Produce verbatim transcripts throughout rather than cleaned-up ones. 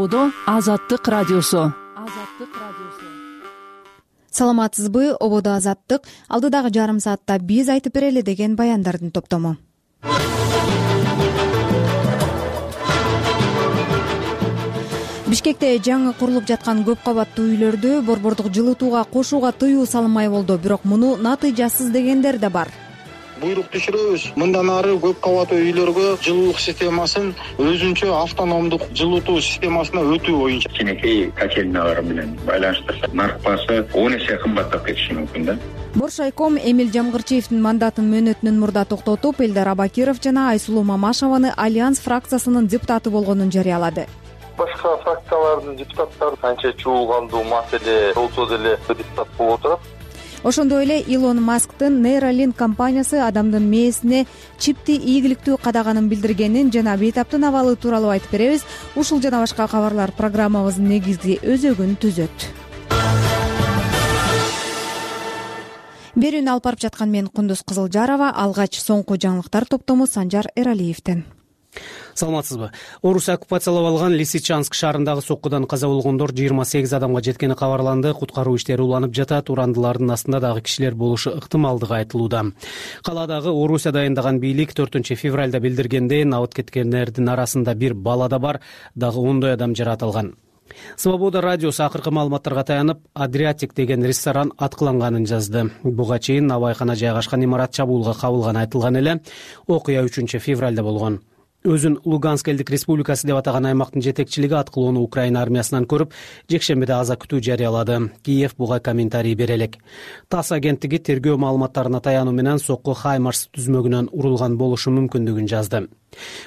ободо Азаттык радиосу. Саламатсызбы, ободо Азаттык. Алдыдагы жарым саатта биз айтып берели деген баяндардын топтому. Бишкекте жаңы курулуп жаткан көп кабаттуу үйлөрдү борбордук жылытууга кошууга тыюу салынмай болду, бирок муну натыйжасыз дегендер да бар. Буйрук түшүрөбүз. Мындан ары көп кабаттуу үйлөргө жылуулук системасын өзүнчө автономдук жылытуу системасына өтүү боюнча кенекей котельниялар менен байланыштырса, нарк баасы он эсе кымбаттап кетиши мүмкүн да. Боршайком Эмил Жамгырчиевдин мандатын мөөнөтүнөн мурда токтотуп, Элдар Абакиров жана Айсулуу Мамашеваны Альянс фракциясынын депутаты болгонун жарыялады. Башка фракциялардын депутаттары канча чуулгандуу маселе болсо деле депутат болуп отурат. Ошондой эле Илон Масктын Neuralink компаниясы адамдын мээсине чипти ийгиликтүү кадаганын билдиргенин жана бейтаптын абалы тууралуу айтып беребиз. Ушул жана башка кабарлар программабыздын негизги өзөгүн түзөт. Берүүнү алып барып жаткан мен Кундуз Кызылжарова, алгач соңку жаңылыктар топтому Санжар Эралиевден. Саламатсызбы. Орус оккупациялап алган Лисичанск шаарындагы соккудан каза болгондор жыйырма сегиз адамга жеткени кабарланды. Куткаруу иштери уланып жатат. Урандылардын астында дагы кишилер болушу ыктымалдыгы айтылууда. Каладагы Орусия дайындаган бийлик төртүнчү февралда билдиргендей, абыт кеткендердин арасында бир бала да бар, дагы ондой адам жаратылган. Свобода радиосу акыркы маалыматтарга таянып, Адриатик деген ресторан аткыланганын жазды. Буга чейин набайкана жайгашкан имарат чабуулга кабылганы айтылган эле. Окуя үчүнчү февралда болгон. Өзүн Луганск элдик республикасы деп атаган аймактын жетекчилиги аткылоону Украина армиясынан көрүп, жекшембиде аза күтүү жарыялады. Киев буга комментарий бере элек. ТАСС агенттиги тергөө маалыматтарына таянуу менен сокку Хаймарс түзмөгүнөн урулган болушу мүмкүндүгүн жазды.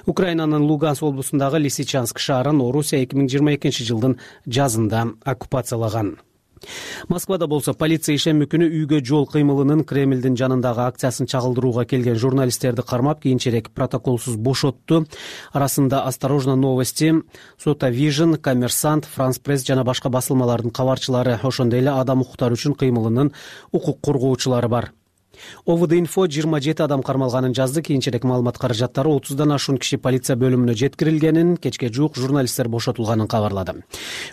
Украинанын Луганск облусундагы Лисичанск шаарын Орусия эки миң жыйырма экинчи жылдын жазында оккупациялаган. Москвада болсо полиция ишемби күнү үйгө жол кыймылынын Кремлдин жанындагы акциясын чагылдырууга келген журналисттерди кармап, кийинчерээк протоколсуз бошотту. Арасында Осторожно новости, Сотавижн, Коммерсант, Франс Пресс жана башка басылмалардын кабарчылары, ошондой эле адам укуктары үчүн кыймылынын укук коргоочулары бар. ОВД-инфо жыйырма жети адам кармалганын жазды. Кийинчерээк маалымат каражаттары отуздан ашуун киши полиция бөлүмүнө жеткирилгенин, кечке жуук журналисттер бошотулганын кабарлады.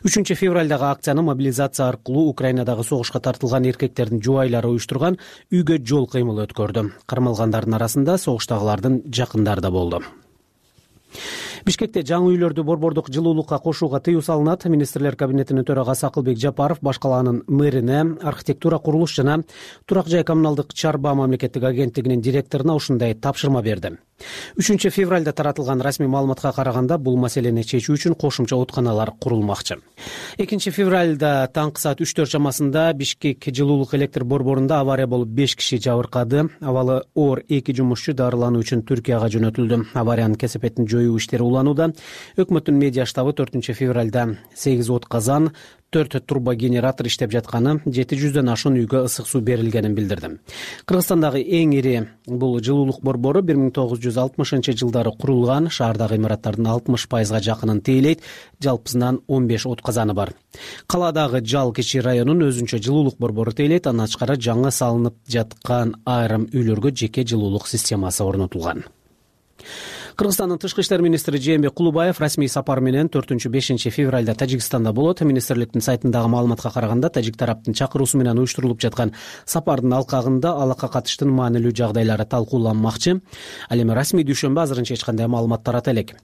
үчүнчү февралдагы акцияны мобилизация аркылуу Украинадагы согушка тартылган эркектердин жубайлары уюштурган үйгө жол кыймылы өткөрдү. Кармалгандардын арасында согуштагылардын жакындары да болду. Бишкекте жаңы үйлөрдү борбордук жылуулукка кошууга тыюу салынат. Министрлер кабинетинин төрагасы Акылбек Жапаров баш калаанын мэрине, архитектура, курулуш жана турак жай коммуналдык чарба мамлекеттик агенттигинин директоруна ушундай тапшырма берди. үчүнчү февралда таратылган расмий маалыматка караганда, бул маселени чечүү үчүн кошумча оотканалар курулмакчы. экинчи февралда таңкы саат үч төрт чамасында Бишкек жылуулук электр борборунда авария болуп беш киши жабыркады. Абалы оор эки жумушчу дарылануу үчүн Түркияга жөнөтүлдү. Авариянын кесепетин жоюу иштери уланууда. Өкмөттүн медиа штабы төртүнчү февралда сегиз от казан, төрт турбогенератор иштеп жатканы, жети жүздөн ашуун үйгө ысык суу берилгенин билдирди. Кыргызстандагы эң ири бул жылуулук борбору бир миң тогуз жүз алтымышынчы жылдары курулган. Шаардагы имараттардын алтымыш пайызга жакынын тейлейт. Жалпысынан он беш от казаны бар. Каладагы Жал кичи районун өзүнчө жылуулук борбору тейлейт. Андан тышкары жаңы салынып жаткан айрым үйлөргө жеке жылуулук системасы орнотулган. Кыргызстандын тышкы иштер министри Жээнбек Кулубаев расмий сапар менен төртүнчү бешинчи февралда Тажикстанда болот. Министрликтин сайтындагы маалыматка караганда, тажик тараптын чакыруусу менен уюштурулуп жаткан сапардын алкагында алакка катыштын маанилүү жагдайлары талкууланмакчы. Ал эми расмий дүйшөмбү азырынча эч кандай маалымат тарата элек.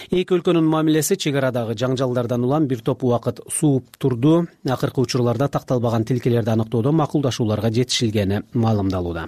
Эки өлкөнүн мамилеси чек арадагы жаңжалдардан улам бир топ убакыт сууп турду. Акыркы учурларда такталбаган тилкелерди аныктоодо макулдашууларга жетишилгени маалымдалууда.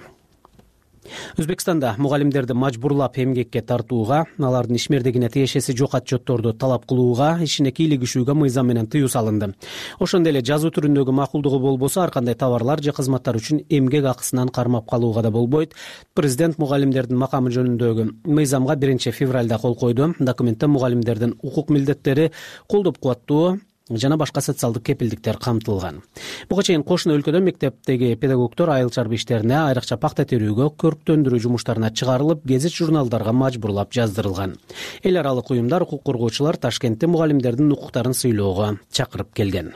Өзбекстанда мугалимдерди мажбурлап эмгекке тартууга, алардын ишмердигине тиешеси жок отчетторду талап кылууга, ишине кийлигишүүгө мыйзам менен тыюу салынды. Ошондой эле жазуу түрүндөгү макулдугу болбосо, ар кандай товарлар же кызматтар үчүн эмгек акысынан кармап калууга да болбойт. Президент мугалимдердин макамы жөнүндөгү мыйзамга биринчи февралда кол койду. Документте мугалимдердин укук милдеттери, колдоп кубаттоо жана башка социалдык кепилдиктер камтылган. Буга чейин кошуна өлкөдө мектептеги педагогдор айыл чарба иштерине, айрыкча пакта терүүгө, көрктөндүрүү жумуштарына чыгарылып, гезит журналдарга мажбурлап жаздырылган. Эл аралык уюмдар, укук коргоочулар Ташкентте мугалимдердин укуктарын сыйлоого чакырып келген.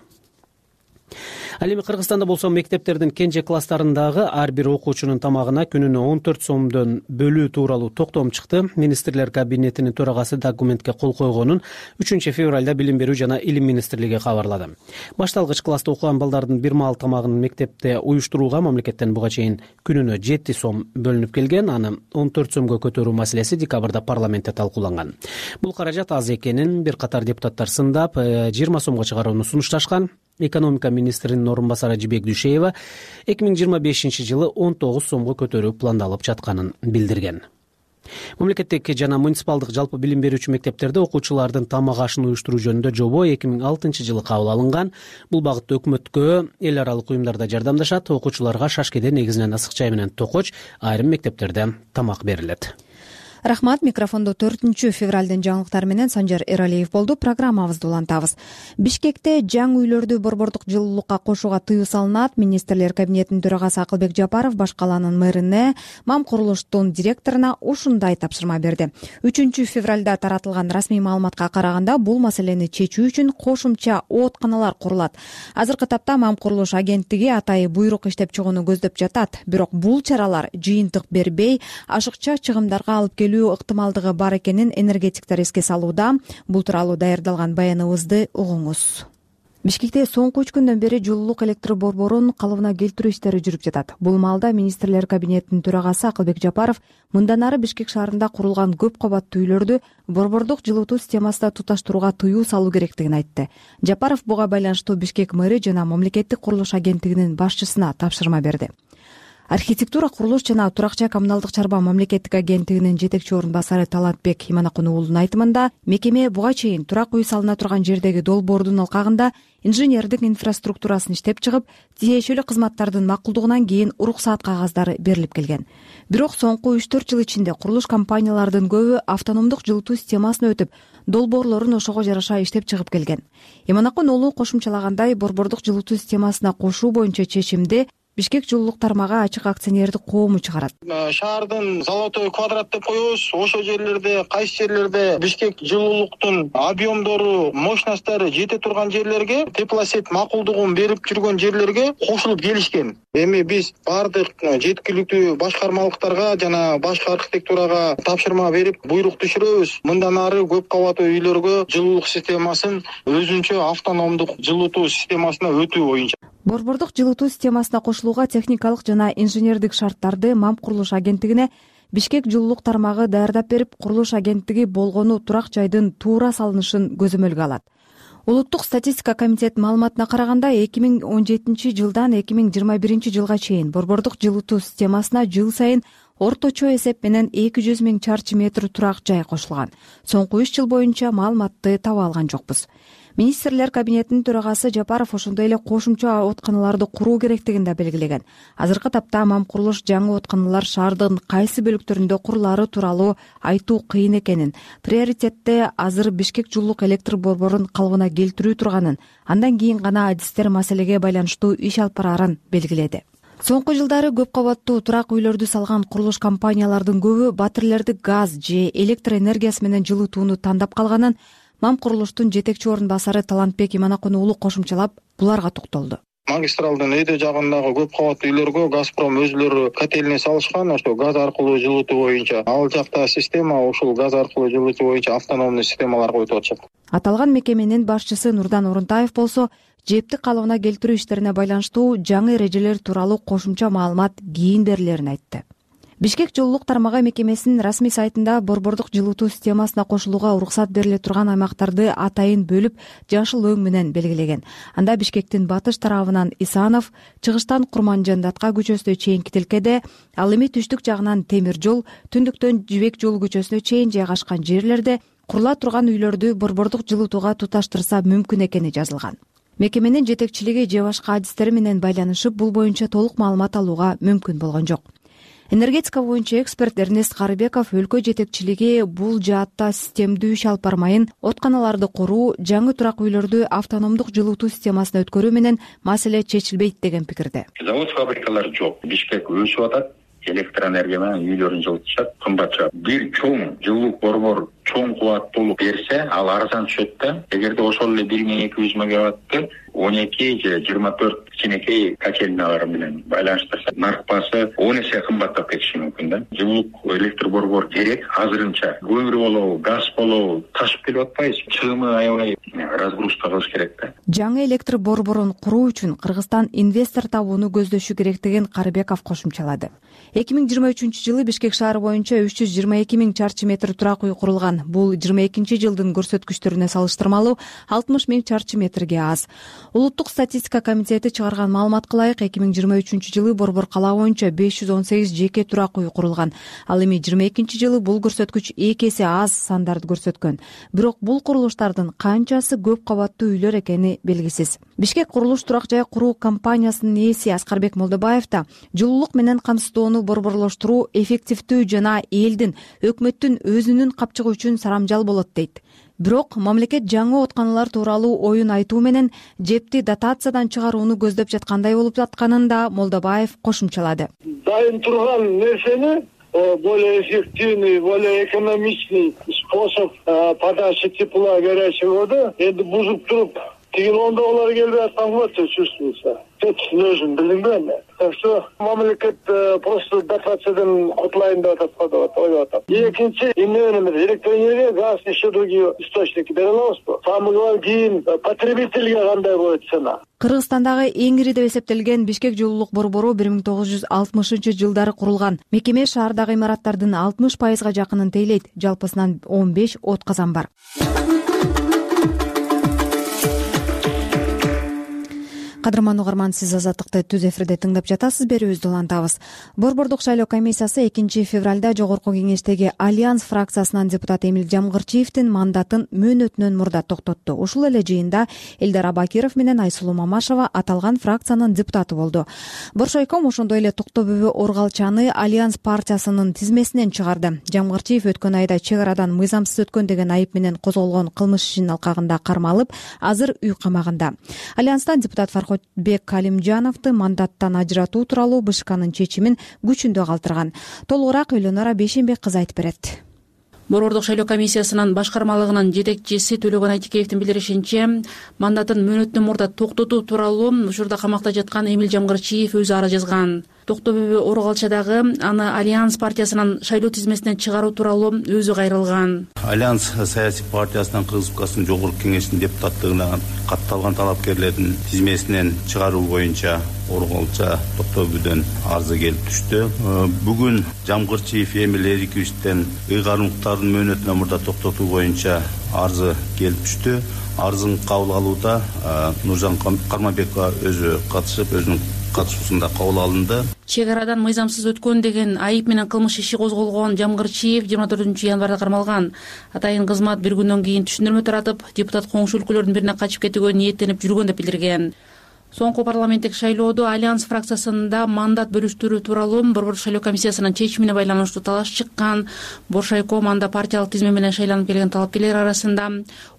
Ал эми Кыргызстанда болсо мектептердин кенже класстарындагы ар бир окуучунун тамагына күнүнө он төрт сомдон бөлүү тууралуу токтом чыкты. Министрлер кабинетинин төрагасы документке кол койгонун үчүнчү февралда Билим берүү жана Илим министрлиги кабарлады. Башталгыч класста окуган балдардын бир маал тамагын мектепте уюштурууга мамлекеттен буга чейин күнүнө жети сом бөлүнүп келген. Аны он төрт сомго көтөрүү маселеси декабрда парламентте талкууланган. Бул каражат аз экенин бир катар депутаттар сындап, жыйырма сомго чыгарууну сунушташкан. Экономика министринин орун басары Жибек Дүйшеева эки миң жыйырма бешинчи жылы он тогуз сомго көтөрүү пландалып жатканын билдирген. Мамлекеттик жана муниципалдык жалпы билим берүүчү мектептерде окуучулардын тамак ашын уюштуруу жөнүндө жобо эки миң алтынчы жылы кабыл алынган. Бул багытта өкмөткө эл аралык уюмдар да жардамдашат. Окуучуларга шашкеде негизинен ысык чай менен токоч, айрым мектептерде тамак берилет. Рахмат. Микрофондо төртүнчү февралдын жаңылыктары менен Санжар Эралиев болду. Программабызды улантабыз. Бишкекте жаңы үйлөрдү борбордук жылуулукка кошууга тыюу салынат. Министрлер кабинетинин төрагасы Акылбек Жапаров баш калаанын мэрине, МАМ курулуштун директоруна ушундай тапшырма берди. үчүнчү февралда таратылган расмий маалыматка караганда, бул маселени чечүү үчүн кошумча оотканалар курулат. Азыркы тапта МАМ курулуш агенттиги атайы буйрук иштеп чыгууну көздөп жатат. Бирок бул чаралар жыйынтык бербей, ашыкча чыгымдарга алып келүү ыктымалдыгы бар экенин энергетиктер эске салууда. Бул тууралуу даярдалган баяныбызды угуңуз. Бишкекте соңку үч күндөн бери жылуулук электр борборун калыбына келтирүү иштери жүрүп жатат. Бул маалда Министрлер кабинетинин төрагасы Акылбек Жапаров мындан ары Бишкек шаарында курулган көп кабаттуу үйлөрдү борбордук жылытуу системасына туташтырууга тыюу салуу керектигин айтты. Жапаров буга байланыштуу Бишкек мэри жана мамлекеттик курулуш агенттигинин башчысына тапшырма берди. Архитектура, курулуш жана турак жай коммуналдык чарба мамлекеттик агенттигинин жетекчи орун басары Талантбек Иманакун уулунун айтымында, мекеме буга чейин турак үй салына турган жердеги долбоордун алкагында инженердик инфраструктурасын иштеп чыгып, тиешелүү кызматтардын макулдугунан кийин уруксаат кагаздары берилип келген. Бирок соңку үч төрт жыл ичинде курулуш компаниялардын көбү автономдук жылытуу системасына өтүп, долбоорлорун ошого жараша иштеп чыгып келген. Иманакун уулу кошумчалагандай, борбордук жылытуу системасына кошуу боюнча чечимди Бишкек жылуулук тармагы ачык акционердик коому чыгарат. Шаардын золотой квадрат деп коебуз. Ошол жерлерде, кайсы жерлерде Бишкек жылуулуктун объемдору, мощносттору жете турган жерлерге, теплосет макулдугун берип жүргөн жерлерге кошулуп келишкен. Эми биз бардык жеткиликтүү башкармалыктарга жана башка архитектурага тапшырма берип, буйрук түшүрөбүз. Мындан ары көп кабаттуу үйлөргө жылуулук системасын өзүнчө автономдук жылытуу системасына өтүү боюнча. Борбордук жылытуу системасына кошулууга техникалык жана инженердик шарттарды МАМ курулуш агенттигине Бишкек жылуулук тармагы даярдап берип, курулуш агенттиги болгону турак жайдын туура салынышын көзөмөлгө алат. Улуттук статистика комитетинин маалыматына караганда, эки миң он жетинчи жылдан эки миң жыйырма биринчи жылга чейин борбордук жылытуу системасына жыл сайын орточо эсеп менен эки жүз миң чарчы метр турак жай кошулган. Соңку үч жыл боюнча маалыматты таба алган жокпуз. Министрлер кабинетинин төрагасы Жапаров ошондой эле кошумча оотканаларды куруу керектигин да белгилеген. Азыркы тапта МАМ курулуш жаңы оотканалар шаардын кайсы бөлүктөрүндө курулаары тууралуу айтуу кыйын экенин, приоритетте азыр Бишкек жылуулук электр борборун калыбына келтирүү турганын, андан кийин гана адистер маселеге байланыштуу иш алып бараарын белгиледи. Соңку жылдары көп кабаттуу турак үйлөрдү салган курулуш компаниялардын көбү батирлерди газ же электр энергиясы менен жылытууну тандап калганын МАМ курулуштун жетекчи орун басары Талантбек Иманакун уулу кошумчалап, буларга токтолду. Магистралдын эде жагындагы көп кабаттуу үйлөргө Газпром өзүлөрү котельный салышкан, ошо газ аркылуу жылытуу боюнча. Ал жакта система ушул газ аркылуу жылытуу боюнча автономдуу системаларга өтүп атышат. Аталган мекеменин башчысы Нурдан Орунтаев болсо, жепти калыбына келтирүү иштерине байланыштуу жаңы эрежелер тууралуу кошумча маалымат кийин берилерин айтты. Бишкек жылуулук тармагы мекемесинин расмий сайтында борбордук жылытуу системасына кошулууга уруксат бериле турган аймактарды атайын бөлүп, жашыл өң менен белгилеген. Анда Бишкектин батыш тарабынан Исанов, чыгыштан Курманжандатка көчөсүнө чейинки тилкеде, ал эми түштүк жагынан темир жол, түндүктөн Жибек жолу көчөсүнө чейин жайгашкан жерлерде курула турган үйлөрдү борбордук жылытууга туташтырса мүмкүн экени жазылган. Мекеменин жетекчилиги же башка адистери менен байланышып, бул боюнча толук маалымат алууга мүмкүн болгон жок. Энергетика боюнча эксперт Эрнест Карыбеков өлкө жетекчилиги бул жаатта системдүү иш алып бармайын, отканаларды куруу, жаңы турак үйлөрдү автономдук жылытуу системасына өткөрүү менен маселе чечилбейт деген пикирде. Завод фабрикалар жок. Бишкек өсүп атат. Электроэнергия менен үйлөрүн жылытышат, кымбатча. Бир чоң жылуулук борбор чоң кубаттуулук берсе, ал арзан түшөт да. Эгерде ошол эле бир миң эки жүз мегаватты он эки же жыйырма төрт кичинекей котельналар менен байланыштырса нарк баасы он эсе кымбаттап кетиши мүмкүн да. Жылуулук электр борбор керек азырынча. Көмүр болобу, газ болобу ташып келип атпайбыз. Чыгымы аябай разгрузка кылыш керек да. Жаңы электр борборун куруу үчүн Кыргызстан инвестор табууну көздөшү керектигин Карыбеков кошумчалады. эки миң жыйырма үчүнчү жылы Бишкек шаары боюнча үч жүз жыйырма эки миң чарчы метр турак үй курулган. Бул жыйырма экинчи жылдын көрсөткүчтөрүнө салыштырмалуу алтымыш миң чарчы метрге аз. Улуттук статистика комитети чыгарган маалыматка ылайык эки миң жыйырма үчүнчү жылы борбор кала боюнча беш жүз он сегиз жеке турак үй курулган. Ал эми жыйырма экинчи жылы бул көрсөткүч эки эсе аз сандарды көрсөткөн. Бирок бул курулуштардын канчасы көп кабаттуу үйлөр экени белгисиз. Бишкек курулуш турак жай куруу компаниясынын ээси Аскарбек Молдобаев да жылуулук менен камсыздоону борборлоштуруу эффективдүү жана элдин, өкмөттүн өзүнүн капчыгы үчүн сарамжал болот дейт. Бирок мамлекет жаңы оотканалар тууралуу оюн айтуу менен жепти дотациядан чыгарууну көздөп жаткандай болуп жатканын да Молдобаев кошумчалады. Дайын турган нерсени более эффективный, более экономичный способ подачи тепла горячей воды эми бузуп туруп тигилондо олар келбей аткан го чувствуется. Точно өзүм билдимби эми. Так что мамлекет просто дотациядан кутулайын деп атат, ойлоп атат. Экинчи эмне электроэнергия, газ, еще другие источники бере алабызбы? Самый главный кийин потребительге кандай болот цена. Кыргызстандагы эң ири деп эсептелген Бишкек жылуулук борбору бир миң тогуз жүз алтымышынчы жылдары курулган. Мекеме шаардагы имараттардын алтымыш пайызга жакынын тейлейт. Жалпысынан он беш от казан бар. Кадырман угарман, сиз Азаттыкты түз эфирде тыңдап жатасыз. Берүүбүздү улантабыз. Борбордук шайлоо комиссиясы экинчи февралда жогорку кеңештеги Альянс фракциясынан депутат Эмил Жамгырчиевдин мандатын мөөнөтүнөн мурда токтотту. Ушул эле жыйында Элдар Абакиров менен Айсулуу Мамашева аталган фракциянын депутаты болду. Боршойком ошондой эле Токто Бөбө Оргалчаны Альянс партиясынын тизмесинен чыгарды. Жамгырчиев өткөн айда чек арадан мыйзамсыз өткөн деген айып менен козголгон кылмыш ишинин алкагында кармалып, азыр үй камагында. Альянстан депутат Фархот Бек Калимжановду мандаттан ажыратуу тууралуу БШКнын чечимин күчүндө калтырган. Толугураак Элонора Бейшенбек кызы айтып берет. Борбордук шайлоо комиссиясынын башкармалыгынын жетекчиси Төлөгөн Айтикеевдин билдиришинче, мандатын мөөнөттөн мурда токтотуу тууралуу учурда камакта жаткан Эмил Жамгырчиев өзү ара жазган. Токто Бөбө Оргалчадагы аны Альянс партиясынын шайлоо тизмесинен чыгаруу тууралуу өзү кайрылган. Альянс саясий партиясынын Кыргыз Республикасынын жогорку кеңешинин депутаттыгына катталган талапкерлердин тизмесинен чыгаруу боюнча Оргалча Токто Бөбөдөн арызы келип түштү. Бүгүн Жамгырчиев Эмил Эриковичтен ыйгарымдыктардын мөөнөтүнөн мурда токтотуу боюнча арызы келип түштү. Арызын кабыл алууда Нуржан Карманбекова өзү катышып, өзүнүн катышуусунда кабыл алынды. Чек арадан мыйзамсыз өткөн деген айып менен кылмыш иши козголгон Жамгырчиев жыйырма төртүнчү январда кармалган. Атайын кызмат бир күндөн кийин түшүндүрмө таратып, депутат коңшу өлкөлөрдүн бирине качып кетүүгө ниеттенип жүргөн деп билдирген. Соңку парламенттик шайлоодо Альянс фракциясында мандат бөлүштүрүү тууралуу борбордук шайлоо комиссиясынын чечимине байланыштуу талаш чыккан. Боршайком анда партиялык тизме менен шайланып келген талапкерлер арасында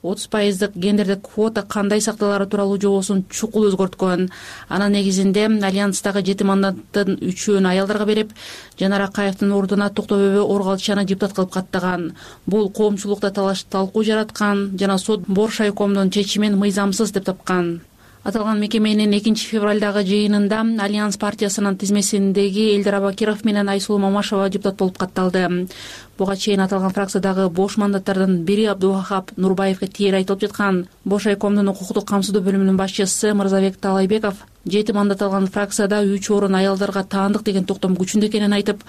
отуз пайыздык гендердик квота кандай сакталары тууралуу жобосун чукул өзгөрткөн. Анын негизинде Альянстагы жети мандаттын үчөөнү аялдарга берип, Жанар Акаевдин ордуна Токто Бөбө Оргалчаны депутат кылып каттаган. Бул коомчулукта талаш талкуу жараткан жана сот Боршайкомдун чечимин мыйзамсыз деп тапкан. Аталган мекеменин экинчи февралдагы жыйынында Альянс партиясынын тизмесиндеги Элдар Абакиров менен Айсулуу Мамашева депутат болуп катталды. Буга чейин аталган фракциядагы бош мандаттардын бири Абдувахап Нурбаевге тиер айтылып жаткан. Бошайкомдун укуктук камсыздоо бөлүмүнүн башчысы Мырзабек Талайбеков жети мандат алган фракцияда үч орун аялдарга таандык деген токтом күчүндө экенин айтып,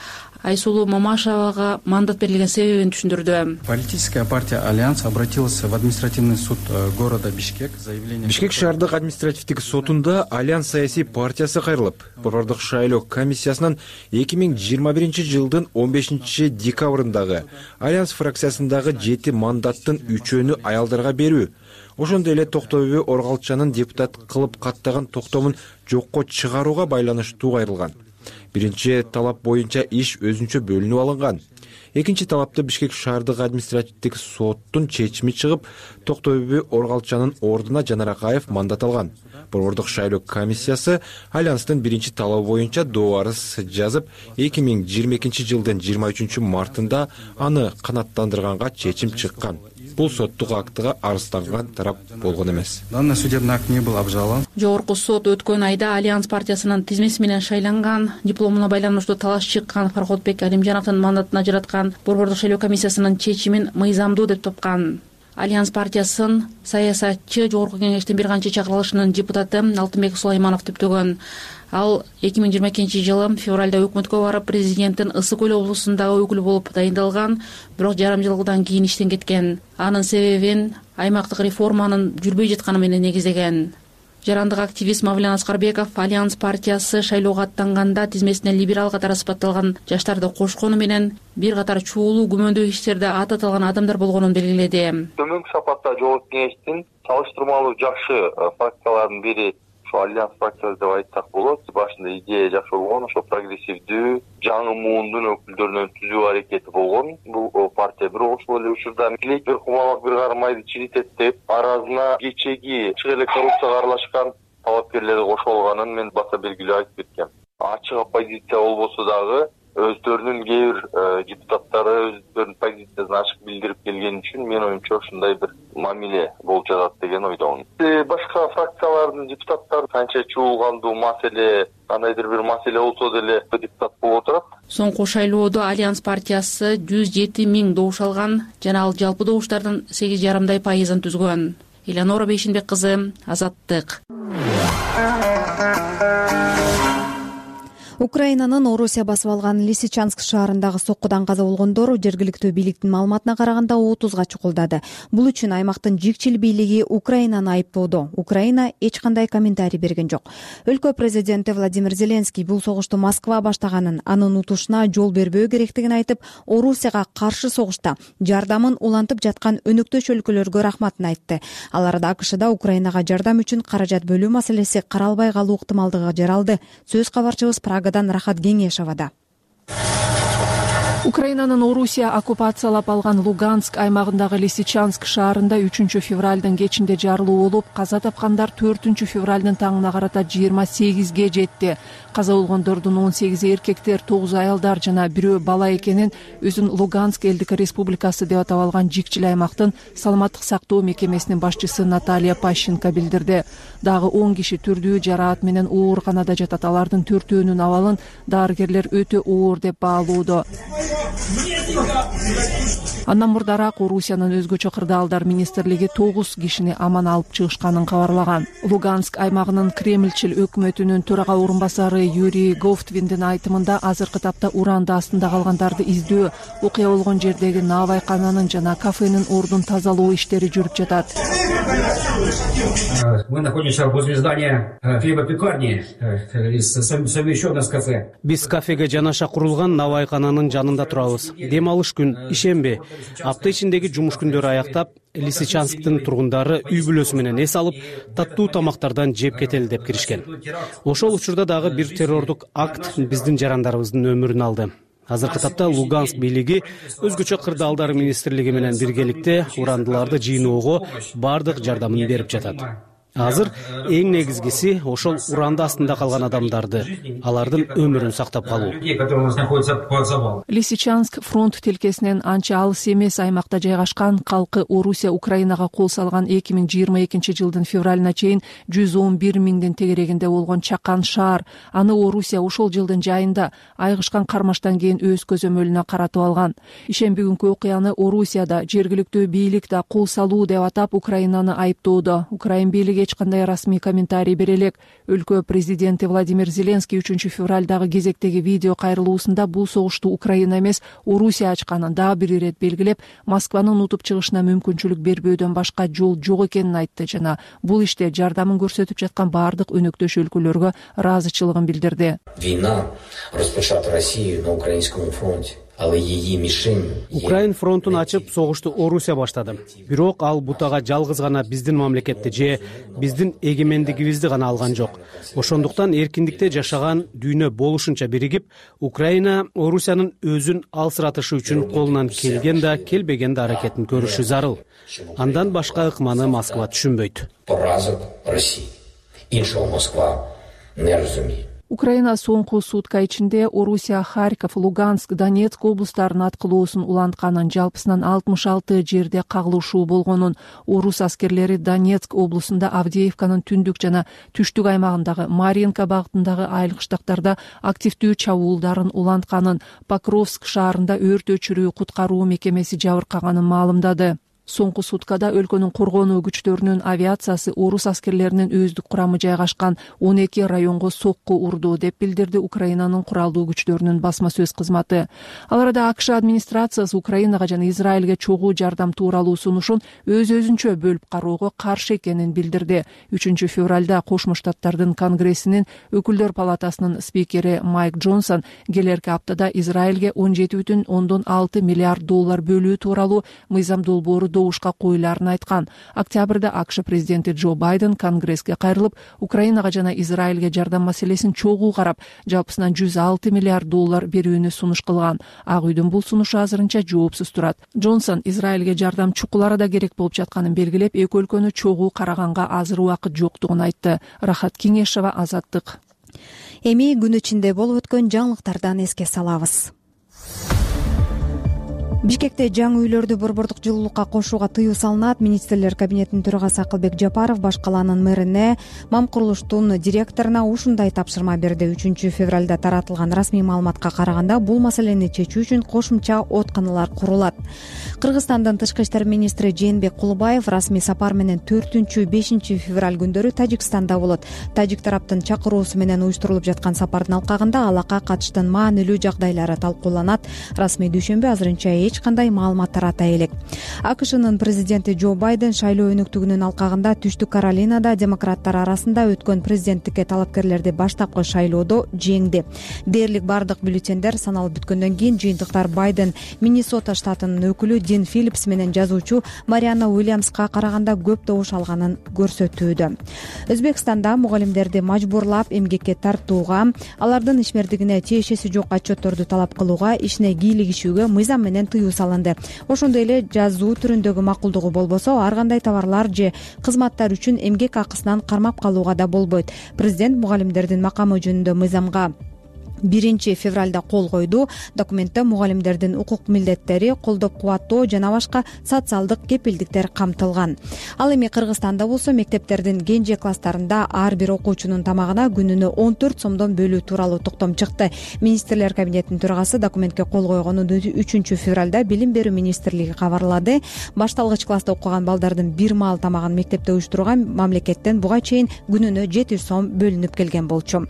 Айсулуу Мамашевага мандат берилген себебин түшүндүрдү. Политическая партия Альянс обратилась в административный суд города Бишкек с заявлением. Бишкек шаардык административдик сотунда Альянс саясий партиясы кайрылып, борбордук шайлоо комиссиясынын эки миң жыйырма биринчи жылдын он бешинчи декабрындагы Альянс фракциясындагы жети мандаттын үчөөнү аялдарга берүү, ошондой эле Токто Бөбө Оргалчанын депутат кылып каттаган токтомун жокко чыгарууга байланыштуу кайрылган. Биринчи талап боюнча иш өзүнчө бөлүнүп алынган. Экинчи талапты Бишкек шаардык административдик соттун чечими чыгып, Токто Бөбө Оргалчанын ордуна Жанар Акаев мандат алган. Борбордук шайлоо комиссиясы Альянстын биринчи талабы боюнча доо арыз жазып, эки миң жыйырма экинчи жылдын жыйырма үчүнчү мартында аны канааттандырганга чечим чыккан. бул соттук актыга арызданган тарап болгон эмес. Данный судебный акт не был обжалован. Жогорку сот өткөн айда Альянс партиясынын тизмеси менен шайланган, дипломуна байланыштуу талаш чыккан Фарходбек Алимжановдун мандатын ажыраткан борбордук шайлоо комиссиясынын чечимин мыйзамдуу деп топкан. Альянс партиясын саясатчы Жогорку кеңештин бир канча чакырылышынын депутаты Алтынбек Сулайманов түптөгөн. Ал эки миң жыйырма экинчи жылы февралда өкмөткө барып, президенттин Ысык Көл облусундагы өкүлү болуп дайындалган, бирок жарым жылдан кийин иштен кеткен. Анын себебин аймактык реформанын жүрбөй жатканы менен негиздеген. Жарандык активист Мавлен Аскарбеков Альянс партиясы шайлоого аттанганда тизмесине либерал катары сыпатталган жаштарды кошкону менен бир катар чуулуу күмөндүү иштерде ат аталган адамдар болгонун белгиледи. Төмөнкү сапатта Жогорку кеңештин салыштырмалуу жакшы фракцияларынын бири ошо Альянс фракциясы деп айтсак болот. Башында идея жакшы болгон, ошо прогрессивдүү, жаңы муундун өкүлдөрүнөн түзүү аракети болгон. Бул партия бир ошол эле учурда тилек бир кумалак бир кармайды чиритет деп аразына кечеги чыгы эле коррупцияга аралашкан талапкерлерди кошо алганын мен баса белгилүү айтып кеткем. Ачык оппозиция болбосо дагы өздөрүнүн кээ бир депутаттары өздөрүнүн позициясын ачык билдирип келгени үчүн мен оюмча ушундай бир мамиле болуп жатат деген ойдомун. Башка фракциялардын депутаттары канча чуулгандуу маселе, кандайдыр бир маселе болсо деле депутат болуп отурат. Соңку шайлоодо Альянс партиясы жүз жети миң добуш алган жана ал жалпы добуштардын сегиз жарымдай пайызын түзгөн. Элеонора Бейшинбек кызы, Азаттык. Украинанын Орусия басып алган Лисичанск шаарындагы соккудан каза болгондор жергиликтүү бийликтин маалыматына караганда отузга чукулдады. Бул үчүн аймактын жикчил бийлиги Украинаны айыптоодо. Украина эч кандай комментарий берген жок. Өлкө президенти Владимир Зеленский бул согушту Москва баштаганын, анын утушуна жол бербөө керектигин айтып, Орусияга каршы согушта жардамын улантып жаткан өнөктөш өлкөлөргө рахматын айтты. Ал арада АКШда Украинага жардам үчүн каражат бөлүү маселеси каралбай калуу ыктымалдыгы жаралды. Сөз кабарчыбыз Прага Рахат Геңешовада. Украинанын Орусия оккупациялап алган Луганск аймагындагы Лисичанск шаарында үчүнчү февралдын кечинде жарылуу болуп, каза тапкандар төртүнчү февралдын таңына карата жыйырма сегизге жетти. Каза болгондордун он сегизи эркектер, тогузу аялдар жана бирөө бала экенин өзүн Луганск элдик республикасы деп атап алган жикчил аймактын саламаттык сактоо мекемесинин башчысы Наталья Пащенко билдирди. Дагы он киши түрдүү жараат менен ооруканада жатат. Алардын төртөөнүн абалын дарыгерлер өтө оор деп баалоодо. Андан мурдараак Орусиянын өзгөчө кырдаалдар министрлиги тогуз кишини аман алып чыгышканын кабарлаган. Луганск аймагынын Кремльчил өкмөтүнүн төрага орун басары Юрий Говтвиндин айтымында азыркы тапта уранда астында калгандарды издөө, окуя болгон жердеги наабайкананын жана кафенин ордун тазалоо иштери жүрүп жатат. Мы находимся возле здания хлебопекарни, совмещённое с кафе. Биз кафеге жанаша курулган наабайкананын жанында турабыз. Дем алыш күн, ишемби, апта ичиндеги жумуш күндөрү аяктап, Лисичансктын тургундары үй бүлөсү менен эс алып, таттуу тамактардан жеп кетели деп киришкен. Ошол учурда дагы бир террордук акт биздин жарандарыбыздын өмүрүн алды. Азыркы тапта Луганск бийлиги өзгөчө кырдаалдар министрлиги менен биргеликте урандыларды жыйноого бардык жардамын берип жатат. Азыр эң негизгиси ошол уранда астында калган адамдарды, алардын өмүрүн сактап калуу. Лисичанск фронт тилкесинен анча алыс эмес аймакта жайгашкан, калкы Орусия Украинага кол салган эки миң жыйырма экинчи жылдын февралына чейин жүз он бир миңдин тегерегинде болгон чакан шаар. Аны Орусия ошол жылдын жайында айгышкан кармаштан кийин өз көзөмөлүнө каратып алган. Ишемби күнкү окуяны Орусияда жергиликтүү бийлик да кол салуу деп атап Украинаны айыптоодо. Украин бийлиги эч кандай расмий комментарий бере элек. Өлкө президенти Владимир Зеленский үчүнчү февралдагы кезектеги видео кайрылуусунда бул согушту Украина эмес, Орусия ачканын дагы бир ирет белгилеп, Москванын унутуп чыгышына мүмкүнчүлүк бербөөдөн башка жол жок экенин айтты жана бул иште жардамын көрсөтүп жаткан бардык өнөктөш өлкөлөргө ыраазычылыгын билдирди. Война распочата Россию на украинском фронте. Украин фронтун ачып, согушту Орусия баштады. Бирок ал бутага жалгыз гана биздин мамлекетти же биздин эгемендигибизди гана алган жок. Ошондуктан эркиндикте жашаган дүйнө болушунча биригип, Украина Орусиянын өзүн алсыратышы үчүн колунан келген да, келбеген да аракетин көрүшү зарыл. Андан башка ыкманы Москва түшүнбөйт. Поразок России. Иншалла Москва не разумеет. Украина соңку сутка ичинде Орусия Харьков, Луганск, Донецк облустарынын аткылоосун улантканын, жалпысынан алтымыш алты жерде кагылышуу болгонун, орус аскерлери Донецк облусунда Авдеевканын түндүк жана түштүк аймагындагы Маринка багытындагы айыл кыштактарда активдүү чабуулдарын улантканын, Покровск шаарында өрт өчүрүү куткаруу мекемеси жабыркаганын маалымдады. Соңку суткада өлкөнүн коргонуу күчтөрүнүн авиациясы орус аскерлеринин өздүк курамы жайгашкан он эки районго сокку урду, деп билдирди Украинанын куралдуу күчтөрүнүн басма сөз кызматы. Ал арада АКШ администрациясы Украинага жана Израилге чогуу жардам тууралуу сунушун өз өзүнчө бөлүп кароого каршы экенин билдирди. үчүнчү февралда Кошмо Штаттардын Конгрессинин өкүлдөр палатасынын спикери Майк Джонсон келерки аптада Израилге он жети бүтүн ондон алты миллиард доллар бөлүү тууралуу мыйзам долбоору добушка коюларын айткан. Октябрда АКШ президенти Джо Байден Конгресске кайрылып, Украинага жана Израилге жардам маселесин чогуу карап, жалпысынан жүз алты миллиард доллар берүүнү сунуш кылган. Ак үйдүн бул сунушу азырынча жоопсуз турат. Джонсон Израилге жардам чукул арада керек болуп жатканын белгилеп, эки өлкөнү чогуу караганга азыр убакыт жоктугун айтты. Рахат Кеңешова, Азаттык. Эми күн ичинде болуп өткөн жаңылыктардан эске салабыз. Бишкекте жаңы үйлөрдү борбордук жылуулукка кошууга тыюу салынат. Министрлер кабинетинин төрагасы Акылбек Жапаров баш калаанын мэрине, Мам курулуштун директоруна ушундай тапшырма берди. үчүнчү февралда таратылган расмий маалыматка караганда, бул маселени чечүү үчүн кошумча оотканалар курулат. Кыргызстандын тышкы иштер министри Жээнбек Кулубаев расмий сапар менен төртүнчү бешинчи февраль күндөрү Тажикстанда болот. Тажик тараптын чакыруусу менен уюштурулуп жаткан сапардын алкагында алакка катыштын маанилүү жагдайлары талкууланат. Расмий дүйшөмбү азырынча эч кандай маалымат тарата элек. АКШнын президенти Джо Байден шайлоо өнүктүгүнүн алкагында Түштүк Каролинада демократтар арасында өткөн президенттикке талапкерлерди баштапкы шайлоодо жеңди. Дээрлик бардык бюллетендер саналып бүткөндөн кийин жыйынтыктар Байден Миннесота штатынын өкүлү Дин Филлипс менен жазуучу Марианна Уильямска караганда көп добуш алганын көрсөтүүдө. Өзбекстанда мугалимдерди мажбурлап эмгекке тартууга, алардын ишмердигине тиешеси жок отчетторду талап кылууга, ишине кийлигишүүгө мыйзам менен тыюу салынды. Ошондой эле жазуу түрүндөгү макулдугу болбосо, ар кандай товарлар же кызматтар үчүн эмгек акысынан кармап калууга да болбойт. Президент мугалимдердин макамы жөнүндө мыйзамга биринчи февралда кол койду. Документте мугалимдердин укук милдеттери, колдоп кубаттоо жана башка социалдык кепилдиктер камтылган. Ал эми Кыргызстанда болсо, мектептердин кенже класстарында ар бир окуучунун тамагына күнүнө он төрт сомдон бөлүү тууралуу токтом чыкты. Министрлер кабинетинин төрагасы документке кол койгонун үчүнчү февралда Билим берүү министрлиги кабарлады. Башталгыч класста окуган балдардын бир маал тамагын мектепте уюштурууга мамлекеттен буга чейин күнүнө жети жүз сом бөлүнүп келген болчу.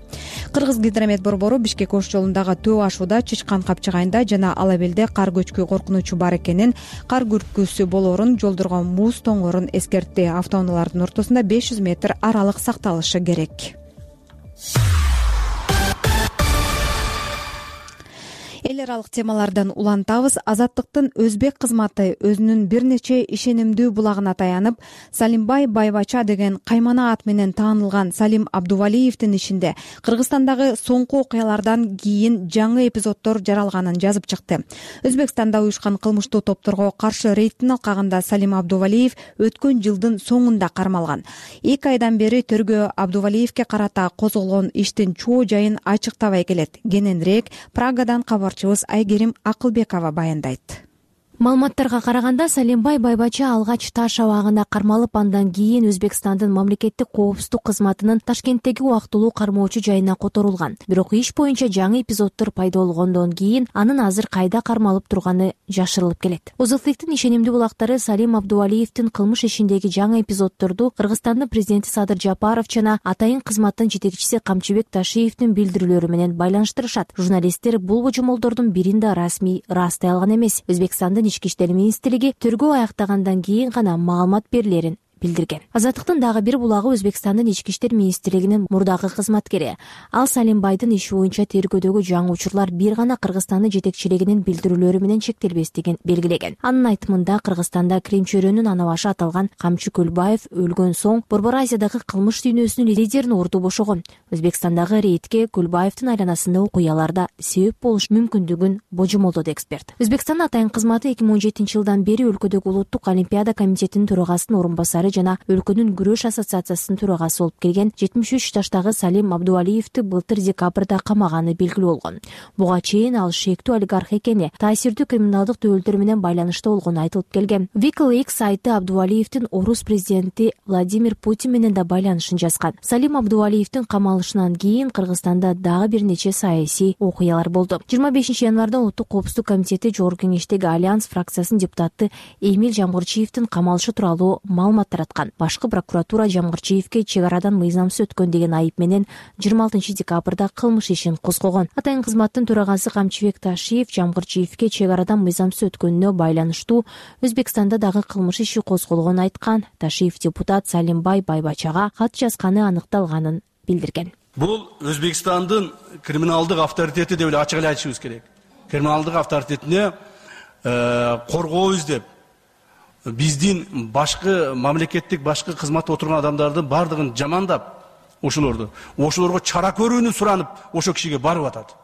Кыргыз гидромет борбору Бишкек ош жолундагы төө ашууда Чычкан капчыгайында жана Алабелде кар көчкү коркунучу бар экенин, кар күркүсү болоорун, жолдорго муз тоңорун эскертти. Автоунаалардын ортосунда беш жүз метр аралык сакталышы керек. Эл аралык темалардан улантабыз. Азаттыктын өзбек кызматы өзүнүн бир нече ишенимдүү булагына таянып, Салимбай Байбача деген каймана ат менен таанылган Салим Абдувалиевдин ишинде Кыргызстандагы соңку окуялардан кийин жаңы эпизоддор жаралганын жазып чыкты. Өзбекстанда уюшкан кылмыштуу топторго каршы рейдтин алкагында Салим Абдувалиев өткөн жылдын соңунда кармалган. эки айдан бери тергөө Абдувалиевке карата козголгон иштин чоо жайын ачыктабай келет. Кененирээк Прагадан кабарчыбыз Айгерим Акылбекова баяндайт. Маалыматтарга караганда, Салимбай Байбача алгач Таш абагында кармалып, андан кийин Өзбекстандын мамлекеттик коопсуздук кызматынын Ташкенттеги убактылуу кармоочу жайына которулган. Бирок иш боюнча жаңы эпизоддор пайда болгондон кийин анын азыр кайда кармалып турганы жашырылып келет. Озылтыктын ишенимдүү булактары Салим Абдувалиевдин кылмыш ишиндеги жаңы эпизоддорду Кыргызстандын президенти Садыр Жапаров жана атайын кызматтын жетекчиси Камчыбек Ташиевдин билдирүүлөрү менен байланыштырышат. Журналисттер бул божомолдордун бирин да расмий ырастай алган эмес. Өзбекстандын Ички иштер министрлиги тергөө аяктагандан кийин гана маалымат берилерин билдирген. Азаттыктын дагы бир булагы Өзбекстандын Ички иштер министрлигинин мурдагы кызматкери. Ал Салимбайдын иши боюнча тергөөдөгү жаңы учурлар бир гана Кыргызстандын жетекчилигинин билдирүүлөрү менен чектелбестигин белгилеген. Анын айтымында, Кыргызстанда Крим чөйрөнүн ана башы аталган Камчы Көлбаев өлгөн соң Борбор Азиядагы кылмыш дүйнөсүнүн лидерин орду бошогон. Өзбекстандагы рейдке Көлбаевдин айланасында окуяларда себеп болуш мүмкүндүгүн божомолдоду эксперт. Өзбекстандын атайын кызматы эки миң он жетинчи жылдан бери өлкөдөгү Улуттук олимпиада комитетинин төрагасынын орун басары катары жана өлкөнүн күрөш ассоциациясынын төрагасы болуп келген жетимиш үч жаштагы Салим Абдувалиевди былтыр декабрда камаганы белгилүү болгон. Буга чейин ал шектүү олигарх экени, таасирдүү криминалдык төбөлдөр менен байланышта болгону айтылып келген. WikiLeaks сайты Абдувалиевдин орус президенти Владимир Путин менен да байланышын жазган. Салим Абдувалиевдин камалышынан кийин Кыргызстанда дагы бир нече саясий окуялар болду. жыйырма бешинчи январда Улуттук коопсуздук комитети Жогорку кеңештеги Альянс фракциясынын депутаты Эмиль Жамгырчиевдин камалышы тууралуу маалымат тараткан. Башкы прокуратура Жамгырчиевге чек арадан мыйзамсыз өткөн деген айып менен жыйырма алтынчы декабрда кылмыш ишин козгогон. Атайын кызматтын төрагасы Камчыбек Ташиев Жамгырчиевге чек арадан мыйзамсыз өткөнүнө байланыштуу Өзбекстанда дагы кылмыш иши козголгонун айткан. Ташиев депутат Салимбай Байбачага кат жазганы аныкталганын билдирген. Бул Өзбекстандын криминалдык авторитети деп эле ачык эле айтышыбыз керек. Криминалдык авторитетине коргообуз деп биздин башкы мамлекеттик башкы кызматта отурган адамдардын бардыгын жамандап, ошолорду ошолорго чара көрүүнү суранып ошол кишиге барып атат.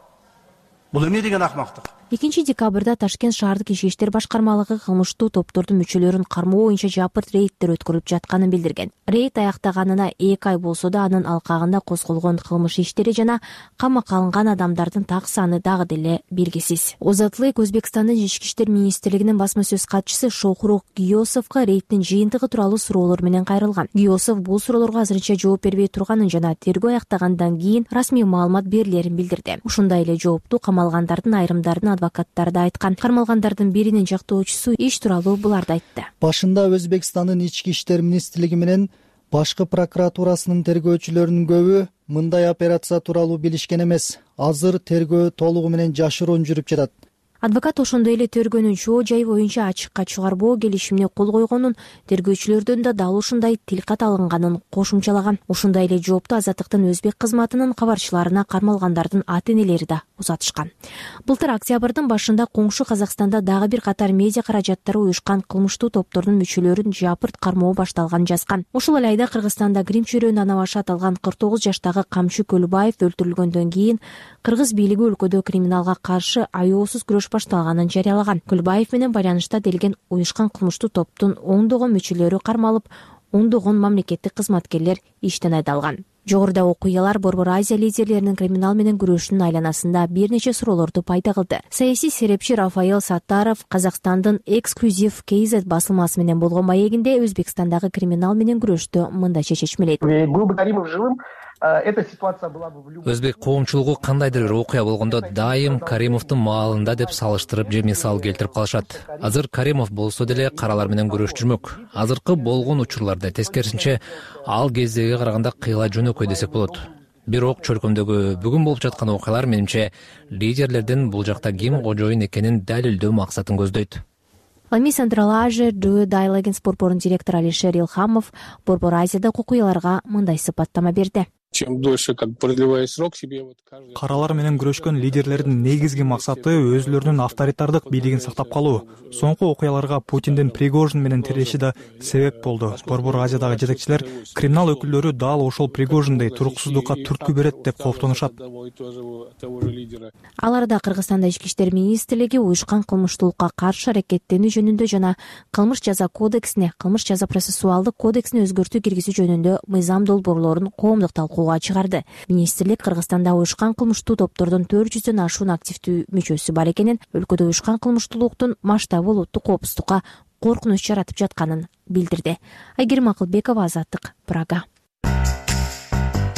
Бул эмне деген акмактык? экинчи декабрда Ташкент шаардык ички иштер башкармалыгы кылмыштуу топтордун мүчөлөрүн кармоо боюнча жапырт рейдтер өткөрүлүп жатканын билдирген. Рейд аяктаганына эки ай болсо да анын алкагында козголгон кылмыш иштери жана камакка алынган адамдардын так саны дагы деле белгисиз. Озатлык Өзбекстандын ички иштер министрлигинин басма сөз катчысы Шохрух Гиосовго рейдтин жыйынтыгы тууралуу суроолор менен кайрылган. Гиосов бул суроолорго азырынча жооп бербей турганын жана тергөө аяктагандан кийин расмий маалымат берилерин билдирди. Ушундай эле жоопту камалгандардын айрымдарынын адвокаттары да айткан. Кармалгандардын биринин жактоочусу иш тууралуу буларды айтты. Башында Өзбекстандын ички иштер министрлиги менен башкы прокуратурасынын тергөөчүлөрүнүн көбү мындай операция тууралуу билишкен эмес. Азыр тергөө толугу менен жашыруун жүрүп жатат. Адвокат ошондой эле тергөөнүн чоо жайы боюнча ачыкка чыгарбоо келишимине кол койгонун, тергөөчүлөрдөн да дал ушундай тилкат алынганын кошумчалаган. Ушундай эле жоопту Азаттыктын өзбек кызматынын кабарчыларына кармалгандардын ата-энелери да узатышкан. Былтыр октябрдын башында коңшу Казакстанда дагы бир катар медиа каражаттары уюшкан кылмыштуу топтордун мүчөлөрүн жапырт кармоо башталганын жазган. Ошол эле айда Кыргызстанда грим чөйрөнүн ана башы аталган кырк тогуз жаштагы Камчы Көлбаев өлтүрүлгөндөн кийин кыргыз бийлиги өлкөдө криминалга каршы аяосуз күрөш башталганын жарыялаган. Көлбаев менен байланышта делген уюшкан кылмыштуу топтун ондогон мүчөлөрү кармалып, ондогон мамлекеттик кызматкерлер иштен айдалган. Жогоруда окуялар Борбор Азия лидерлеринин криминал менен күрөшүнүн айланасында бир нече суроолорду пайда кылды. Саясий серепчи Рафаэл Саттаров Казакстандын Exclusive кей зет басылмасы менен болгон маегинде Өзбекстандагы криминал менен күрөштү мындайча чечмелейт. Был бы Каримов живым, эта ситуация была бы в любом... Өзбек коомчулугу кандайдыр бир окуя болгондо дайым Каримовдун маалында деп салыштырып же мисал келтирип калышат. Азыр Каримов болсо деле каралар менен күрөш жүрмөк. Азыркы болгон учурларда тескерисинче ал кездеги караганда кыйла жөнөкөй десек болот. Бирок чөлкөмдөгү бүгүн болуп жаткан окуялар менимче лидерлердин бул жакта ким кожоюн экенин далилдөө максатын көздөйт. Лами Central Asia Due Dialogues борборунун директору Алишер Илхамов Борбор Азиядагы окуяларга мындай сыпаттама берди. Чем дольше как продлевая срок себе вот каждый каралар менен күрөшкөн лидерлердин негизги максаты өзүлөрүнүн авторитардык бийлигин сактап калуу. Соңку окуяларга Путиндин Пригожин менен тиреши да себеп болду. Борбор Азиядагы жетекчилер криминал өкүлдөрү дал ошол Пригожиндей туруксуздукка түрткү берет деп кооптонушат. Аларда Кыргызстанда ички иштер министрлиги уюшкан кылмыштуулукка каршы аракеттенүү жөнүндө жана кылмыш жаза кодексине, кылмыш жаза процессуалдык кодексине өзгөртүү киргизүү жөнүндө мыйзам долбоорлорун коомдук талкууга чыгарды. Министрлик Кыргызстанда уюшкан кылмыштуу топтордун төрт жүздөн ашуун активдүү мүчөсү бар экенин, өлкөдө уюшкан кылмыштуулуктун масштабы улуттук коопсуздукка коркунуч жаратып жатканын билдирди. Айгерим Акылбекова, Азаттык, Прага.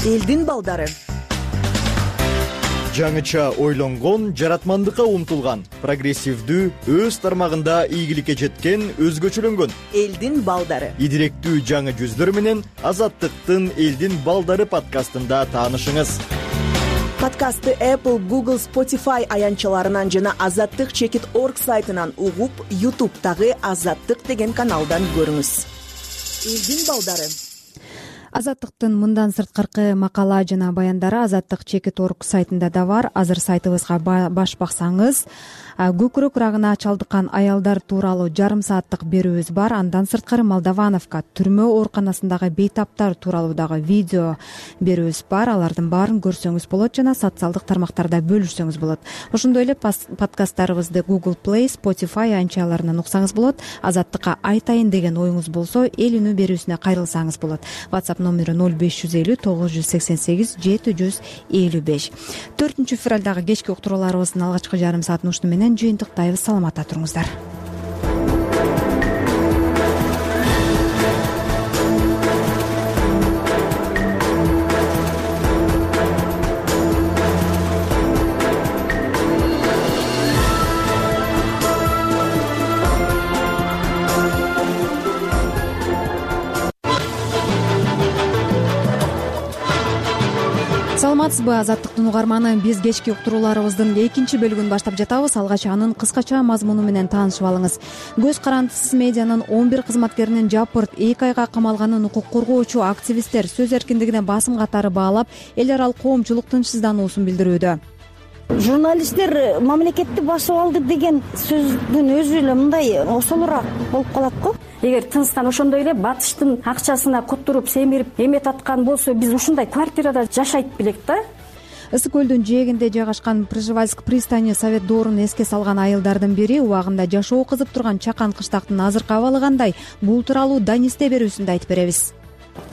Элдин балдары. Жаңыча ойлонгон, жаратмандыкка умтулган, прогрессивдүү, өз тармагында ийгиликке жеткен, өзгөчөлөнгөн элдин балдары. Идиректүү жаңы жүздөр менен Азаттыктын Элдин балдары подкастында таанышыңыз. Подкастты Apple, Google, Spotify аянтчаларынан жана азаттык чекит точка орг сайтынан угуп, YouTube'дагы Азаттык деген каналдан көрүңүз. Элдин балдары. азаттыктын мындан сырткыркы макала жана баяндары азаттык чекит орг сайтында да бар. Азыр сайтыбызга баш баксаңыз көкүрөк рагына чалдыккан аялдар тууралуу жарым сааттык берүүбүз бар. Андан сырткары Молдовановка түрмө ооруканасындагы бейтаптар тууралуу дагы видео берүүбүз бар. Алардын баарын көрсөңүз болот жана социалдык тармактарда бөлүшсөңүз болот. Ошондой эле подкасттарыбызды Google Play, Spotify анчаларынан уксаңыз болот. Азаттыкка айтайын деген оюңуз болсо эл үнү берүүсүнө кайрылсаңыз болот. WhatsApp номери ноль беш жүз элүү тогуз жүз сексен сегиз жети жүз элүү беш. төртүнчү февралдагы кечки уктурууларыбыздын алгачкы жарым саатын ушуну менен жыйынтыктайбыз. Саламатта туруңуздар. Саламатсызбы, азаттыктын угарманы? Биз кечки уктурууларыбыздын экинчи бөлүгүн баштап жатабыз. Алгач анын кыскача мазмуну менен таанышып алыңыз. Көз карандысыз медианын он бир кызматкеринин жапырт эки айга камалганын укук коргоочу активисттер сөз эркиндигине басым катары баалап, эл аралык коомчулук тынчсыздануусун билдирүүдө. Журналисттер мамлекетти басып алды деген сөздүн өзү эле мындай осолураак болуп калат го. Эгер тынчтан ошондой эле батыштын акчасына которуп, семирип эмет аткан болсо, биз ушундай квартирада жашайт белек да. Ысык көлдүн жээгинде жайгашкан Пржевальск пристани совет доорун эске салган айылдардын бири убагында жашоо кызып турган чакан кыштактын азыркы абалы кандай? Бул тууралуу Данисте берүүсүндө айтып беребиз.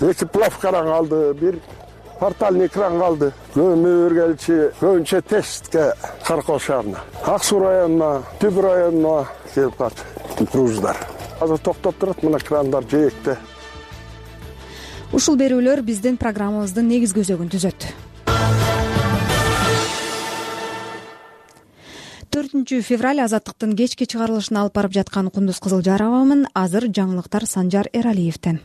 Эки плавкаран калды, бир портальный кран калды. Көмүр келчи, көбүнчө тестке Каркол шаарына, Ак Суу районуна, Түп районуна келип калат груздар. Азыр токтоп турат, мына крандар жээкте. Ушул берүүлөр биздин программабыздын негизги өзөгүн түзөт. төртүнчү февраль азаттыктын кечки чыгарылышын алып барып жаткан Кундуз Кызылжаровамын. Азыр жаңылыктар Санжар Эралиевден.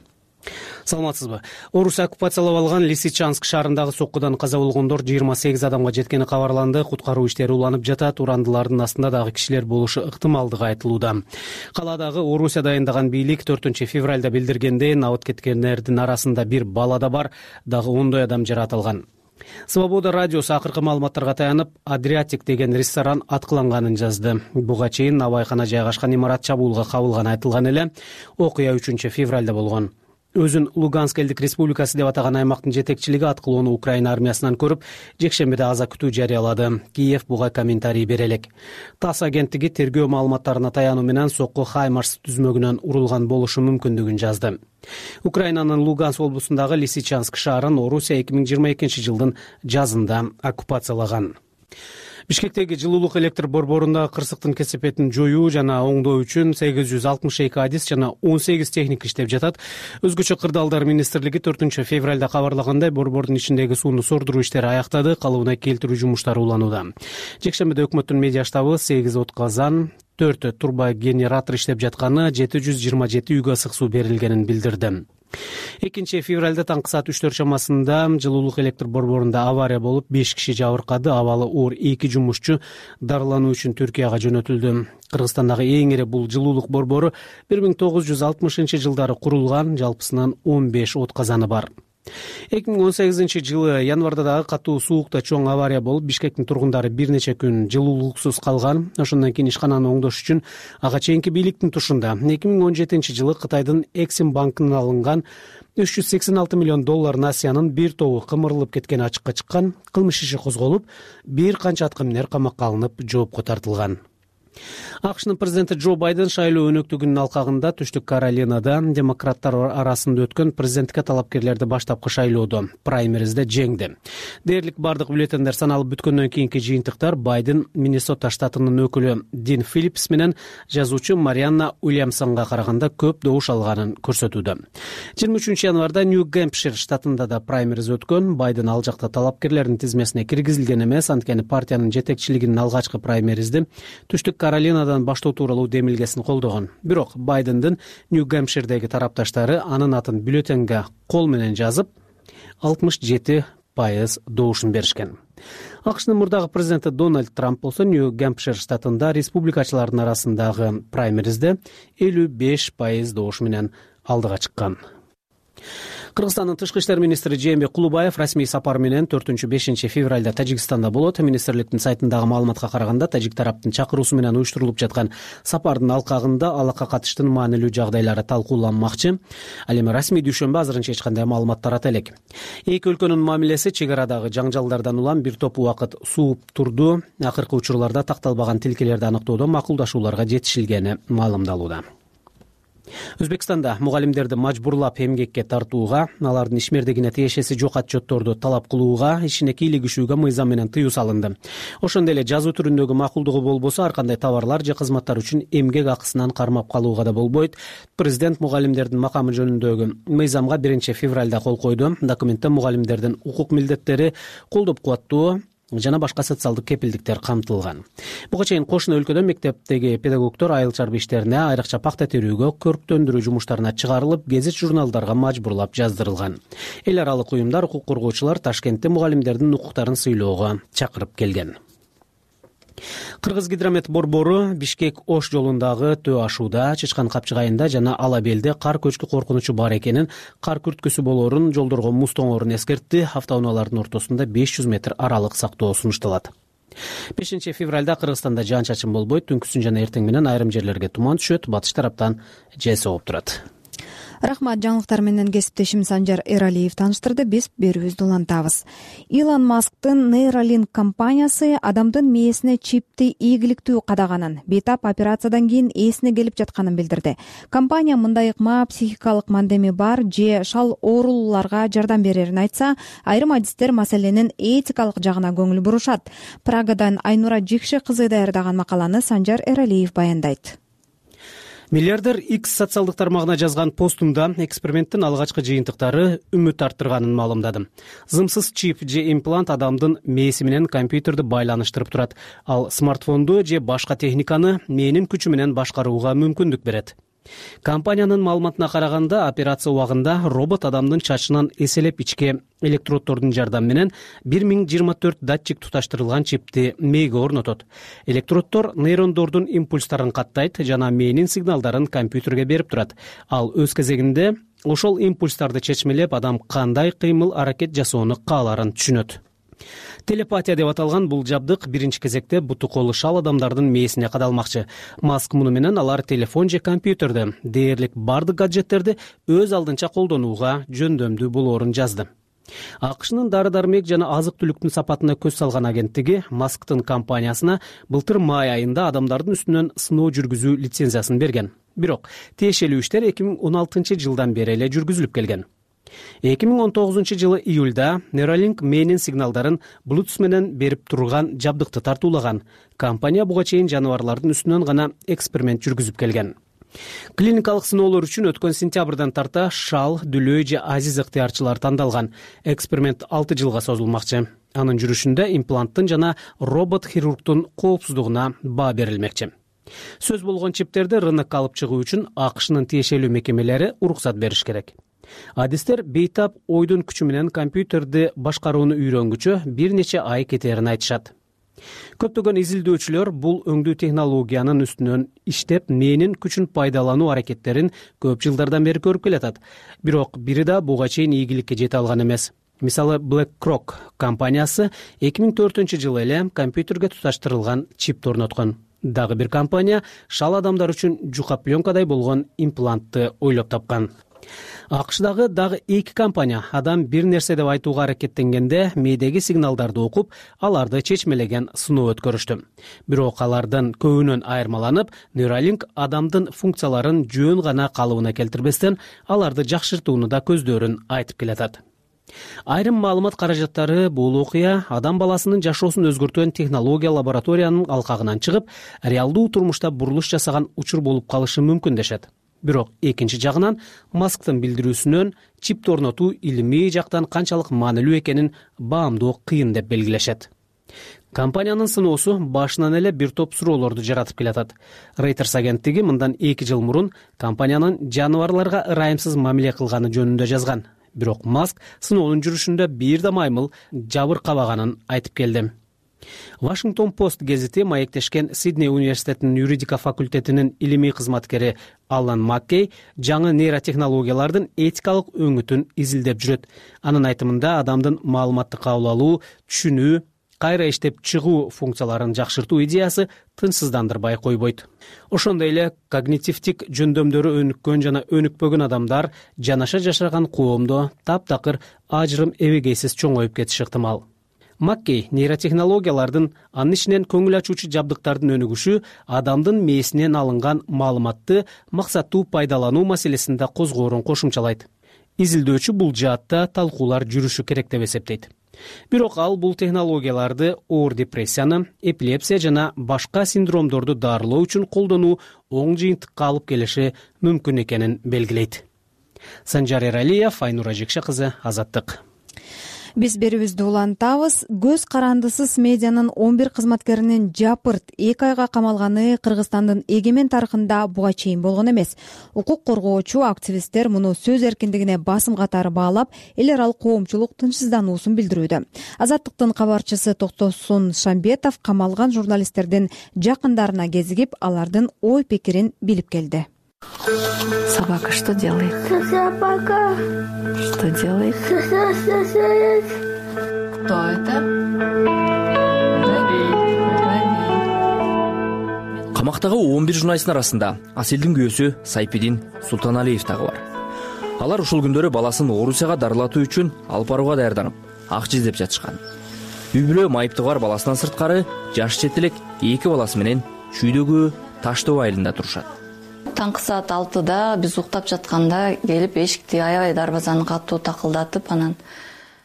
Саламатсызбы. Орус оккупациялап алган Лисичанск шаарындагы соккудан каза болгондор жыйырма сегиз адамга жеткени кабарланды. Куткаруу иштери уланып жатат. Урандылардын астында дагы кишилер болушу ыктымалдыгы айтылууда. Каладагы Орусия дайындаган бийлик төртүнчү февралда билдиргендей, абыт кеткендердин арасында бир бала да бар, дагы ондой адам жаратылган. Свобода радиосу акыркы маалыматтарга таянып, Адриатик деген ресторан аткыланганын жазды. Буга чейин набайкана жайгашкан имарат чабуулга кабылганы айтылган эле. Окуя үчүнчү февралда болгон. Өзүн Луганск элдик республикасы деп атаган аймактын жетекчилиги аткылоону Украина армиясынан көрүп, жекшембиде аза күтүү жарыялады. Киев буга комментарий бере элек. ТАСС агенттиги тергөө маалыматтарына таянуу менен сокку Хаймарс түзмөгүнөн урулган болушу мүмкүндүгүн жазды. Украинанын Луганск облусундагы Лисичанск шаарын Орусия эки миң жыйырма экинчи жылдын жазында оккупациялаган. Бишкектеги жылуулук электр борборундагы кырсыктын кесепетин жоюу жана оңдоо үчүн сегиз жүз алтымыш эки адис жана он сегиз техника иштеп жатат. Өзгөчө кырдаалдар министрлиги төртүнчү февралда кабарлагандай, борбордун ичиндеги сууну сордуруу иштери аяктады, калыбына келтирүү жумуштары уланууда. Жекшембиде өкмөттүн медиа штабы сегиз отказан, төрт турбогенератор иштеп жатканы, жети жүз жыйырма жети үйгө ысык суу берилгенин билдирди. экинчи февралда таңкы саат үчтөр чамасында жылуулук электр борборунда авария болуп, беш киши жабыркады. Абалы оор эки жумушчу дарылануу үчүн Түркияга жөнөтүлдү. Кыргызстандагы эң ири бул жылуулук борбору бир миң тогуз жүз алтымышынчы жылдары курулган, жалпысынан он беш отказаны бар. эки миң он сегизинчи жылы январда дагы катуу суукта чоң авария болуп, Бишкектин тургундары бир нече күн жылуулуксуз калган. Ошондон кийин ишкананы оңдош үчүн ага чейинки бийликтин тушунда эки миң он жетинчи жылы Кытайдын Эксим банкынан алынган үч жүз сексен алты миллион доллар насыянын бир тобу кымырылып кеткени ачыкка чыккан. Кылмыш иши козголуп, бир канча аткаминер камакка алынып, жоопко тартылган. АКШнын президенти Джо Байден шайлоо өнөктүгүнүн алкагында Түштүк Каролинада демократтар арасында өткөн президенттикке талапкерлерди баштапкы шайлоодо праймеризде жеңди. Дээрлик бардык бюллетендер саналып бүткөндөн кийинки жыйынтыктар Байден Миннесота штатынын өкүлү Дин Филлипс менен жазуучу Марианна Уильямсонго караганда көп добуш алганын көрсөтүүдө. жыйырма үчүнчү январда Нью-Гэмпшир штатында да праймериз өткөн. Байден ал жакта талапкерлердин тизмесине киргизилген эмес, анткени партиянын жетекчилигинин алгачкы праймеризди Түштүк Каролинадан баштоо тууралуу демилгесин колдогон. Бирок Байдендин Нью-Гэмпширдеги тарапташтары анын атын бюллетенге кол менен жазып, алтымыш жети пайыз добушун беришкен. АКШнын мурдагы президенти Дональд Трамп болсо Нью-Гэмпшир штатында республикачылардын арасындагы праймеризде элүү беш пайыз добуш менен алдыга чыккан. Кыргызстандын тышкы иштер министри Жээнбек Кулубаев расмий сапар менен төртүнчү бешинчи февралда Тажикстанда болот. Министрликтин сайтындагы маалыматка караганда, тажик тараптын чакыруусу менен уюштурулуп жаткан сапардын алкагында алакка катыштын маанилүү жагдайлары талкууланмакчы. Ал эми расмий дүйшөмбү азырынча эч кандай маалымат тарата элек. Эки өлкөнүн мамилеси чек арадагы жаңжалдардан улам бир топ убакыт сууп турду. Акыркы учурларда такталбаган тилкелерди аныктоодо макулдашууларга жетишилгени маалымдалууда. Өзбекстанда мугалимдерди мажбурлап эмгекке тартууга, алардын ишмердигине тиешеси жок отчетторду талап кылууга, ишине кийлигишүүгө мыйзам менен тыюу салынды. Ошондой эле жазуу түрүндөгү макулдугу болбосо ар кандай товарлар же кызматтар үчүн эмгек акысынан кармап калууга да болбойт. Президент мугалимдердин макамы жөнүндөгү мыйзамга биринчи февралда кол койду. Документте мугалимдердин укук милдеттери, колдоп кубаттоо жана башка социалдык кепилдиктер камтылган. Буга чейин кошуна өлкөдө мектептеги педагогдор айыл чарбы иштерине, айрыкча пакта терүүгө, көрктөндүрүү жумуштарына чыгарылып, гезит журналдарга мажбурлап жаздырылган. Эл аралык уюмдар, укук коргоочулар Ташкентте мугалимдердин укуктарын сыйлоого чакырып келген. Кыргыз гидромет борбору Бишкек Ош жолундагы төө ашууда, Чычкан Капчыгайында жана Ала Белде кар көчкү коркунучу бар экенин, кар күрткүсү болоорун, жолдорго муз тоңоорун эскертти. Автоунаалардын ортосунда беш жүз метр аралык сактоо сунушталат. бешинчи февралда Кыргызстанда жаан-чачын болбойт. Түнкүсүн жана эртең менен айрым жерлерге туман түшөт. Батыш тараптан жел согуп турат. Рахмат, жаңылыктар менен кесиптешим Санжар Эралиев тааныштырды. Биз берүүбүздү улантабыз. Илон Масктын Neuralink компаниясы адамдын мээсине чипти ийгиликтүү кадаганын, бейтап операциядан кийин эсине келип жатканын билдирди. Компания мындай ыкма психикалык мандеми бар же шал оорулууларга жардам берерин айтса, айрым адистер маселенин этикалык жагына көңүл бурушат. Прагадан Айнура Жикши кызы даярдаган макаланы Санжар Эралиев баяндайт. Миллиардер X социалдык тармагына жазган постунда эксперименттин алгачкы жыйынтыктары үмүт арттырганын маалымдады. Зымсыз чип же имплант адамдын мээси менен компьютерди байланыштырып турат. Ал смартфонду же башка техниканы мээнин күчү менен башкарууга мүмкүндүк берет. Компаниянын маалыматына караганда, операция убагында робот адамдын чачынан эселеп ичке электроддордун жардамы менен бир миң жыйырма төрт датчик туташтырылган чипти мээге орнотот. Электроддор нейрондордун импульстарын каттайт жана мээнин сигналдарын компьютерге берип турат. Ал өз кезегинде ошол импульстарды чечмелеп, адам кандай кыймыл аракет жасоону кааларын түшүнөт. Телепатия деп аталган бул жабдык биринчи кезекте буту колу шал адамдардын мээсине кадалмакчы. Маск муну менен алар телефон же компьютерди, дээрлик бардык гаджеттерди өз алдынча колдонууга жөндөмдүү болоорун жазды. АКШнын дары-дармек жана азык-түлүктүн сапатына көз салган агенттиги Масктын компаниясына былтыр май айында адамдардын үстүнөн сыноо жүргүзүү лицензиясын берген. Бирок тиешелүү иштер эки миң он алтынчы жылдан бери эле жүргүзүлүп келген. эки миң он тогузунчу жылы июлда Neuralink мээнин сигналдарын Bluetooth менен берип турган жабдыкты тартуулаган. Компания буга чейин жаныбарлардын үстүнөн гана эксперимент жүргүзүп келген. Клиникалык сыноолор үчүн өткөн сентябрдан тарта шал, дүлөй же азиз ыктыярчылар тандалган. Эксперимент алты жылга созулмакчы. Анын жүрүшүндө импланттын жана робот-хирургдун коопсуздугуна баа берилмекчи. Сөз болгон чиптерди рынокко алып чыгуу үчүн АКШнын тиешелүү мекемелери уруксат бериш керек. Адистер бейтап ойдун күчү менен компьютерди башкарууну үйрөнгүчө бир нече ай кетерин айтышат. Көптөгөн изилдөөчүлөр бул өңдүү технологиянын үстүнөн иштеп, мээнин күчүн пайдалануу аракеттерин көп жылдардан бери көрүп келатат. Бирок бири да буга чейин ийгиликке жете алган эмес. Мисалы, BlackRock компаниясы эки миң төртүнчү жылы эле компьютерге туташтырылган чипти орноткон. Дагы бир компания шал адамдар үчүн жука пленкадай болгон имплантты ойлоп тапкан. АКШдагы дагы эки компания адам бир нерсе деп айтууга аракеттенгенде мээдеги сигналдарды окуп, аларды чечмелеген сыноо өткөрүштү. Бирок алардын көбүнөн айырмаланып, Neuralink адамдын функцияларын жөн гана калыбына келтирбестен, аларды жакшыртууну да көздөрүн айтып келатат. Айрым маалымат каражаттары бул окуя адам баласынын жашоосун өзгөртөн технология лабораториянын алкагынан чыгып, реалдуу турмушта бурулуш жасаган учур болуп калышы мүмкүн дешет. Бирок экинчи жагынан Масктын билдирүүсүнөн чипти орнотуу илимий жактан канчалык маанилүү экенин баамдоо кыйын деп белгилешет. Компаниянын сыноосу башынан эле бир топ суроолорду жаратып келатат. Reuters агенттиги мындан эки жыл мурун компаниянын жаныбарларга ырайымсыз мамиле кылганы жөнүндө жазган. Бирок Маск сыноонун жүрүшүндө бир да маймыл жабыркабаганын айтып келди. Вашингтон Пост гезити маектешкен Сидней университетинин юридика факультетинин илимий кызматкери Аллан Маккей жаңы нейротехнологиялардын этикалык өңүтүн изилдеп жүрөт. Анын айтымында адамдын маалыматты кабыл алуу, түшүнүү, кайра иштеп чыгуу функцияларын жакшыртуу идеясы тынчсыздандырбай койбойт. Ошондой эле когнитивдик жөндөмдөрү өнүккөн жана өнүкпөгөн адамдар жанаша жашаган коомдо таптакыр ажырым эбегейсиз чоңоюп кетиши ыктымал. Маккей нейротехнологиялардын, анын ичинен көңүл ачуучу жабдыктардын өнүгүшү адамдын мээсинен алынган маалыматты максаттуу пайдалануу маселесинде козгоорун кошумчалайт. Изилдөөчү бул жаатта талкуулар жүрүшү керек деп эсептейт. Бирок ал бул технологияларды оор депрессияны, эпилепсия жана башка синдромдорду дарылоо үчүн колдонуу оң жыйынтыкка алып келиши мүмкүн экенин белгилейт. Санжар Эралиев, Айнур Ажекше кызы, Азаттык. Биз берүүбүздү улантабыз. Көз карандысыз медианын он бир кызматкеринин жапырт эки айга камалганы Кыргызстандын эгемен тарыхында буга чейин болгон эмес. Укук коргоочу активисттер муну сөз эркиндигине басым катары баалап, эл аралык коомчулук тынчсыздануусун билдирүүдө. Азаттыктын кабарчысы Токтосун Шамбетов камалган журналисттердин жакындарына кезигип, алардын ой пикирин билип келди. Собака что делает? Собака. Что делает? Кто это? Камактагы он бир журналисттин арасында Аселдин күйөөсү Сайпидин Султаналиев дагы бар. Алар ушул күндөрү баласын Орусияга дарылатуу үчүн алып барууга даярданып, акча издеп жатышкан. Үй бүлө майыптыгы бар баласынан сырткары жаш чет элек эки баласы менен Чүйдөгү Таштоо айылында турушат. Таңкы саат алтыда биз уктап жатканда келип эшикти аябай дарбазаны катуу такылдатып, анан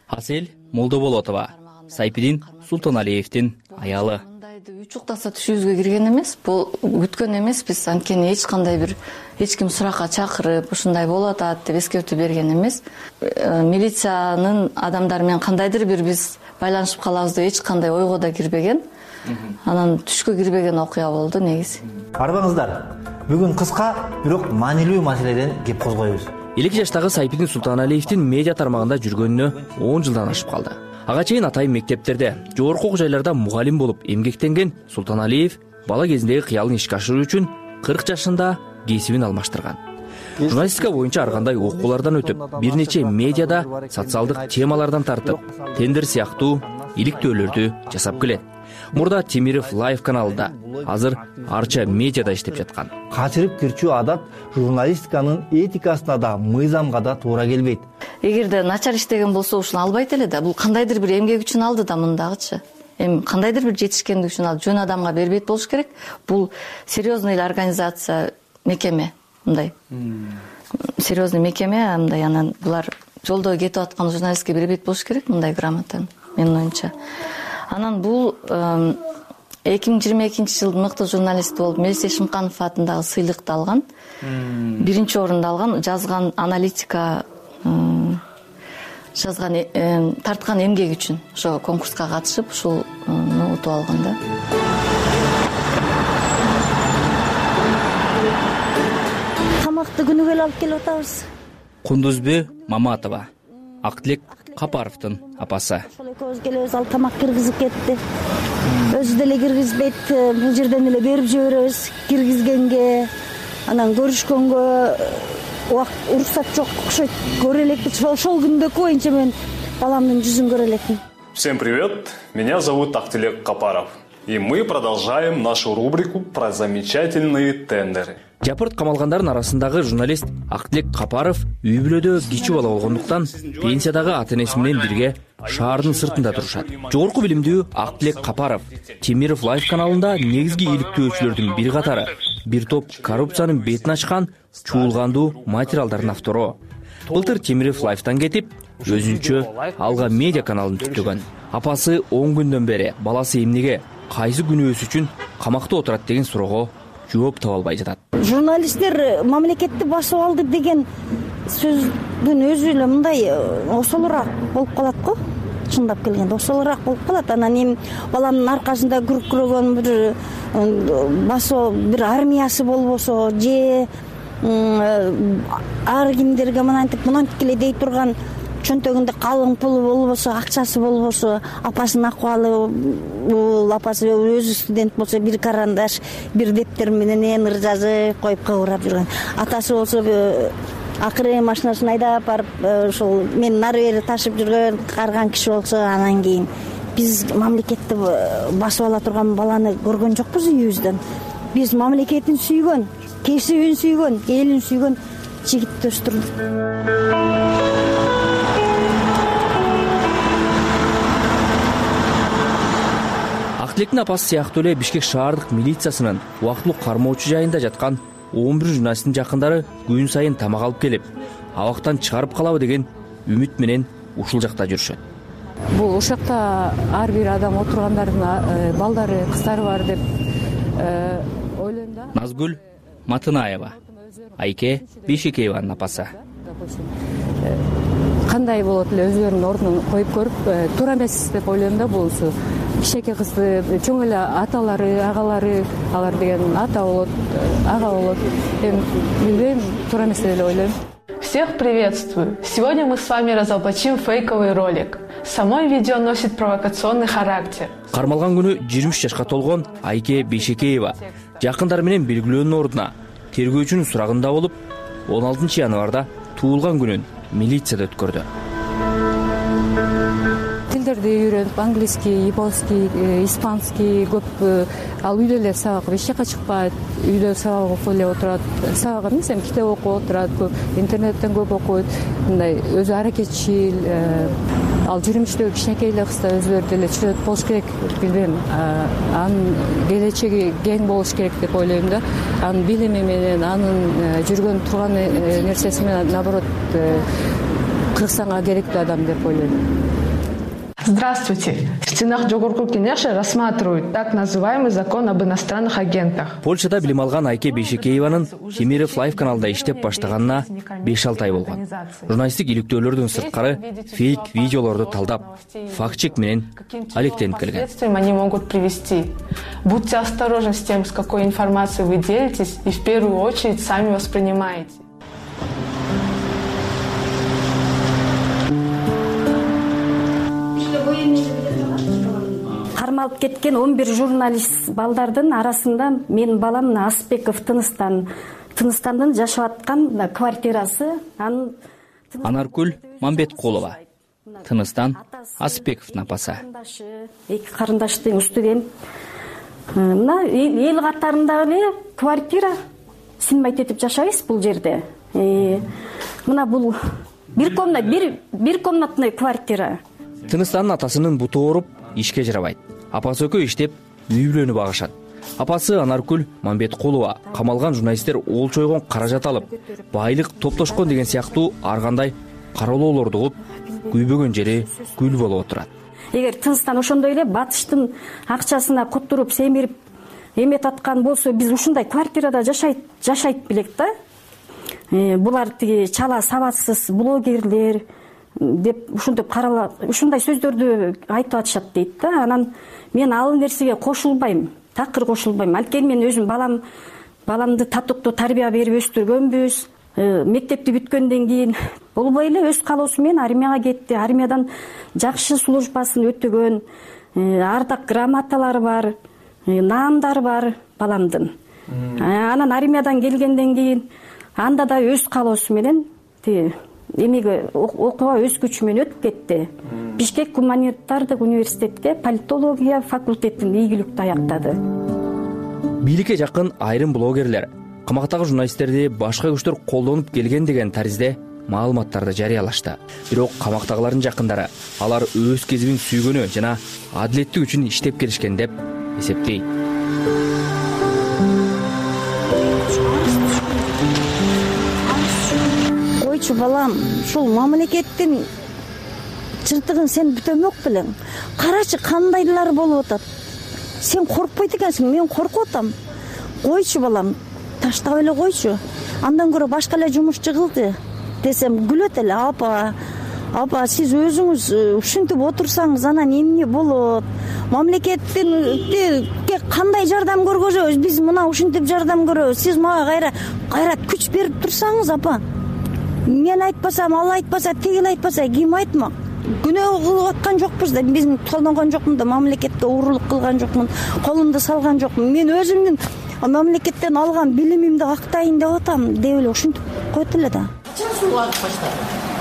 Асел Молдоболотова, Сайпидин Султаналиевдин аялы. Үч уктаса түшүбүзгө кирген эмес, бул күткөн эмес, биз анткени эч кандай бир эч ким суракка чакырып, ушундай болуп атат деп эскертүү берген эмес. Милициянын адамдары менен кандайдыр бир биз байланышып калабыз деп эч кандай ойго да кирбеген. Анан түшкө кирбеген окуя болду негизи. Арбаңыздар. Бүгүн кыска, бирок маанилүү маселеден кеп козгойбуз. элүү жаштагы Сайпидин Султаналиевдин медиа тармагында жүргөнүнө он жылдан ашып калды. Ага чейин атайын мектептерде, жогорку окуу жайларда мугалим болуп эмгектенген Султаналиев бала кезиндеги кыялын ишке ашыруу үчүн кырк жашында кесибин алмаштырган. Журналистика боюнча ар кандай окуулардан өтүп, бир нече медиада социалдык темалардан тартып, тендер сыяктуу иликтөөлөрдү жасап келет. Мурда Темиров Лайв каналында, азыр Арча медиада иштеп жаткан. Качырып кирчүү адат журналистиканын этикасына да, мыйзамга да туура келбейт. Эгерде начар иштеген болсо, ушуну албайт эле да. Бул кандайдыр бир эмгек үчүн алды да мындагычы. Эми кандайдыр бир жетишкендик үчүн алды. Жөн адамга бербейт болуш керек. Бул серьезный организация, мекеме, мындай. Серьезный мекеме, мындай, анан булар жолдо кетип аткан журналистке бербейт болуш керек мындай грамотаны, менин оюмча. Анан бул эки миң жыйырма экинчи жылдын мыкты журналисти болуп Мелсе Шымканов атындагы сыйлыкты алган. Биринчи орунду алган, жазган аналитика, жазган, тарткан эмгеги үчүн ошо конкурска катышып, ушуну утуп алган да. Тамакты күнүгө эле алып келип атабыз. Кундузбү Маматова, Актилек Капаровдун апасы. Ошол экөөбүз келебиз, ал тамак киргизип кетти. Өзү деле киргизбейт, бул жерден эле берип жиберебиз киргизгенге. Анан көрүшкөнгө убакыт уруксат жок окшойт. Көрө элекпиз. Ошол күндөгү боюнча мен баламдын жүзүн көрө элекмин. Всем привет, меня зовут Актилек Капаров. И мы продолжаем нашу рубрику про замечательные тендеры. Жапырт камалгандардын арасындагы журналист Актилек Капаров үй бүлөдө кичи бала болгондуктан пенсиядагы ата-энеси менен бирге шаардын сыртында турушат. Жогорку билимдүү Актилек Капаров Темиров Лайв каналында негизги иликтөөчүлөрдүн бир катары, бир топ коррупциянын бетин ачкан чуулгандуу материалдардын автору. Былтыр Темиров Лайвтан кетип, өзүнчө Алга медиа каналын түптөгөн. Апасы он күндөн бери баласы эмнеге, кайсы күнөөсү үчүн камакта отурат деген суроого жооп таба албай жатат. Журналисттер мамлекетти басып алды деген сөздүн өзү эле мындай осолураак болуп калат го. Чындап келгенде осолураак болуп калат. Анан эми баламдын аркасында күркүрөгөн бир басуу бир армиясы болбосо же ар кимдерге мынантип мынантип эле дей турган чөнтөгүндө калың пулу болбосо, акчасы болбосо, апасынын акыбалы бул, апасы өзү студент болсо бир карандаш, бир дептер менен эмир жазып коюп кыбырап жүргөн. Атасы болсо акыры машинасын айдап барып ошол мен нары бери ташып жүргөн карган киши болсо, анан кийин биз мамлекетти басып ала турган баланы көргөн жокпуз үйүбүздөн. Биз мамлекетин сүйгөн, кесибин сүйгөн, элин сүйгөн жигитти өстүрдүк. Актилектин апасы сыяктуу эле Бишкек шаардык милициясынын убактылуу кармоочу жайында жаткан он бир журналисттин жакындары күн сайын тамак алып келип, абактан чыгарып калабы деген үмүт менен ушул жакта жүрүшөт. Бул ушакта ар бир адам отургандардын балдары, кыздары бар деп ойлойм да. Назгүл Матынаева, Айке Бейшекееванын апасы. Кандай болот эле өзүлөрүнүн ордунун коюп көрүп, туура эмес деп ойлойм да. Бул кичинекей кызды чоң эле аталары, агалары, алар деген ата болот, ага болот. Эми билбейм, туура эмес деп эле ойлойм. Всех приветствую! Сегодня мы с вами разоблачим фейковый ролик. Само видео носит провокационный характер. Кармалган күнү жыйырма үч жашка толгон Айке Бейшекеева жакындары менен белгилөөнүн ордуна тергөөчүнүн сурагында болуп, он алтынчы январда туулган күнүн милицияда өткөрдү. Тилдерди үйрөнүп, английский, японский, испанский көп. Ал үйдө эле сабак, эч жака чыкпайт, үйдө сабак окуп эле отурат. Сабак эмес, эми китеп окуп отурат, интернеттен көп окуйт. Мындай өзү аракетчил. Ал жыйырма үчтөгү кичинекей эле кыз да өзүлөрү деле чөйрөт болуш керек, билбейм. Анын келечеги кең болуш керек деп ойлойм да. Анын билими менен, анын жүргөн турган нерсеси менен наоборот Кыргызстанга керектүү адам деп ойлойм. Здравствуйте! В стенах Жогорку Кенеша рассматривают так называемый закон об иностранных агентах. Польшада билим алган Айке Бейшекееванын Темиров Лайф каналында иштеп баштаганына беш алты ай болгон. Журналисттик иликтөөлөрдөн сырткары фейк видеолорду талдап, факт-чек менен алектенип келген. Они могут привести. Будьте осторожны с тем, с какой информацией вы делитесь, и в первую очередь сами воспринимаете. Кармалып кеткен он бир журналист балдардын арасында менин балам Асбеков Тыныстан, Тыныстандын жашап аткан квартирасы. Анаркүл Мамбеткулова, Тыныстан Асбековдун апасы. Эки карындаштын студент. Мына эл катарындагы эле квартира, синбайт этип жашайбыз бул жерде. Мына бул бир комнат, бир бир комнатный квартира. Тыныстандын атасынын буту ооруп, ишке жарабайт. Апасы экөө иштеп, үй бүлөнү багышат. Апасы Анаркүл Мамбеткулова камалган журналисттер ол чойгон каражат алып, байлык топтошкон деген сыяктуу ар кандай кароолоолорду угуп, күйбөгөн жери күл болуп отурат. Эгер Тыныстан ошондой эле батыштын акчасына коттуруп, семирип эмет аткан болсо, биз ушундай квартирада жашайт, жашайт белек да. Булар тиги чала сабатсыз блогерлер деп ушинтип карала, ушундай сөздөрдү айтып атышат дейт да. Анан мен ал нерсеге кошулбайм, такыр кошулбайм. Анткени мен өзүм балам баламды татыктуу тарбия берип өстүргөнбүз. Мектепти бүткөндөн кийин болбой эле өз калоосу менен армияга кетти. Армиядан жакшы службасын өтөгөн, ардак грамоталары бар, наамдары бар баламдын. Анан армиядан келгенден кийин анда да өз калоосу менен эмеге окууга өз күчү менен өтүп кетти. Бишкек гуманитардык университетте политология факультетин ийгиликтүү аяктады. Бийликке жакын айрым блогерлер камактагы журналисттерди башка күчтөр колдонуп келген деген таризде маалыматтарды жарыялашты. Бирок камактагылардын жакындары алар өз кесибин сүйгөнү жана адилеттик үчүн иштеп келишкен деп эсептейт. Койчу балам, ушул мамлекеттин чыртыгын сен бүтөмөк белең. Карачы кандайлар болуп атат. Сен коркпойт экенсиң, мен коркуп атам. Койчу балам, таштап эле койчу. Андан көрө башка эле жумушчу кылды десем күлөт эле. Апа, апа, сиз өзүңүз ушинтип отурсаңыз анан эмне болот? Мамлекеттин кандай жардам көргөзөбүз? Биз мына ушинтип жардам көрөбүз. Сиз мага кайра кайра күч берип турсаңыз, апа. мен айтпасам, ал айтпаса, тигил айтпаса ким айтмак? Күнөө кылып аткан жокпуз да, биз колдонгон жокмун да, мамлекетке уурулук кылган жокмун, колумду салган жокмун. Мен өзүмдүн мамлекеттен алган билимимди актайын деп атам деп эле ушинтип койт эле да. Качан суу агып баштады?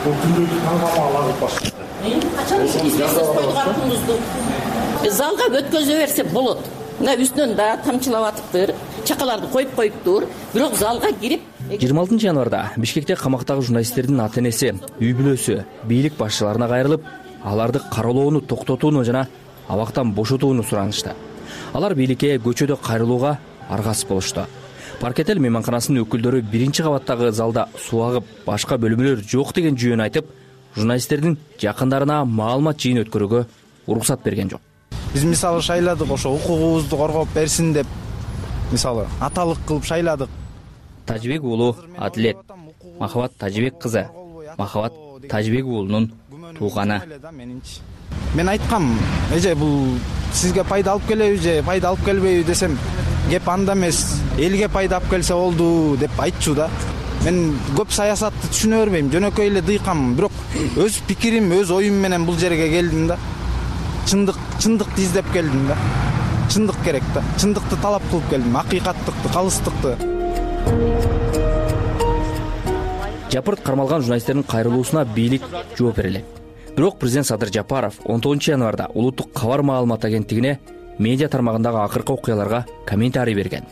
Бул күндү таңгамал агып баштады. Качан избесиз койдук артыбызды? Залга өткөзө берсе болот. Мына үстүнөн да тамчылап атыптыр, чакаларды коюп коюптур, бирок залга кирип жыйырма алтынчы январда Бишкекте камактагы журналисттердин ата-энеси, үй бүлөсү бийлик башчыларына кайрылып, аларды кароолоону токтотууну жана абактан бошотууну суранышты. Алар бийликке көчөдө кайрылууга аргасыз болушту. Паркетел мейманканасынын өкүлдөрү биринчи кабаттагы залда суу агып, башка бөлмөлөр жок деген жүйөнү айтып, журналисттердин жакындарына маалымат жыйын өткөрүүгө уруксат берген жок. Биз мисалы шайладык, ошо укугубузду коргоп берсин деп, мисалы аталык кылып шайладык. Тажибек уулу Адилет, Махабат Тажибек кызы, Махабат Тажибек уулунун тууганы. Мен айткам, эже бул сизге пайда алып келеби же пайда алып келбейби десем, кеп анда эмес, элге пайда алып келсе болду деп айтчу да. Мен көп саясатты түшүнө бербейм, жөнөкөй эле дыйкам, бирок өз пикирим, өз оюм менен бул жерге келдим да. Чындык, чындыкты издеп келдим да. Чындык керек да. Чындыкты талап кылып келдим, акыйкаттыкты, калыстыкты. Жапырт кармалган журналисттердин кайрылуусуна бийлик жооп бере элек. Бирок президент Садыр Жапаров он тогузунчу январда улуттук кабар маалымат агенттигине медиа тармагындагы акыркы окуяларга комментарий берген.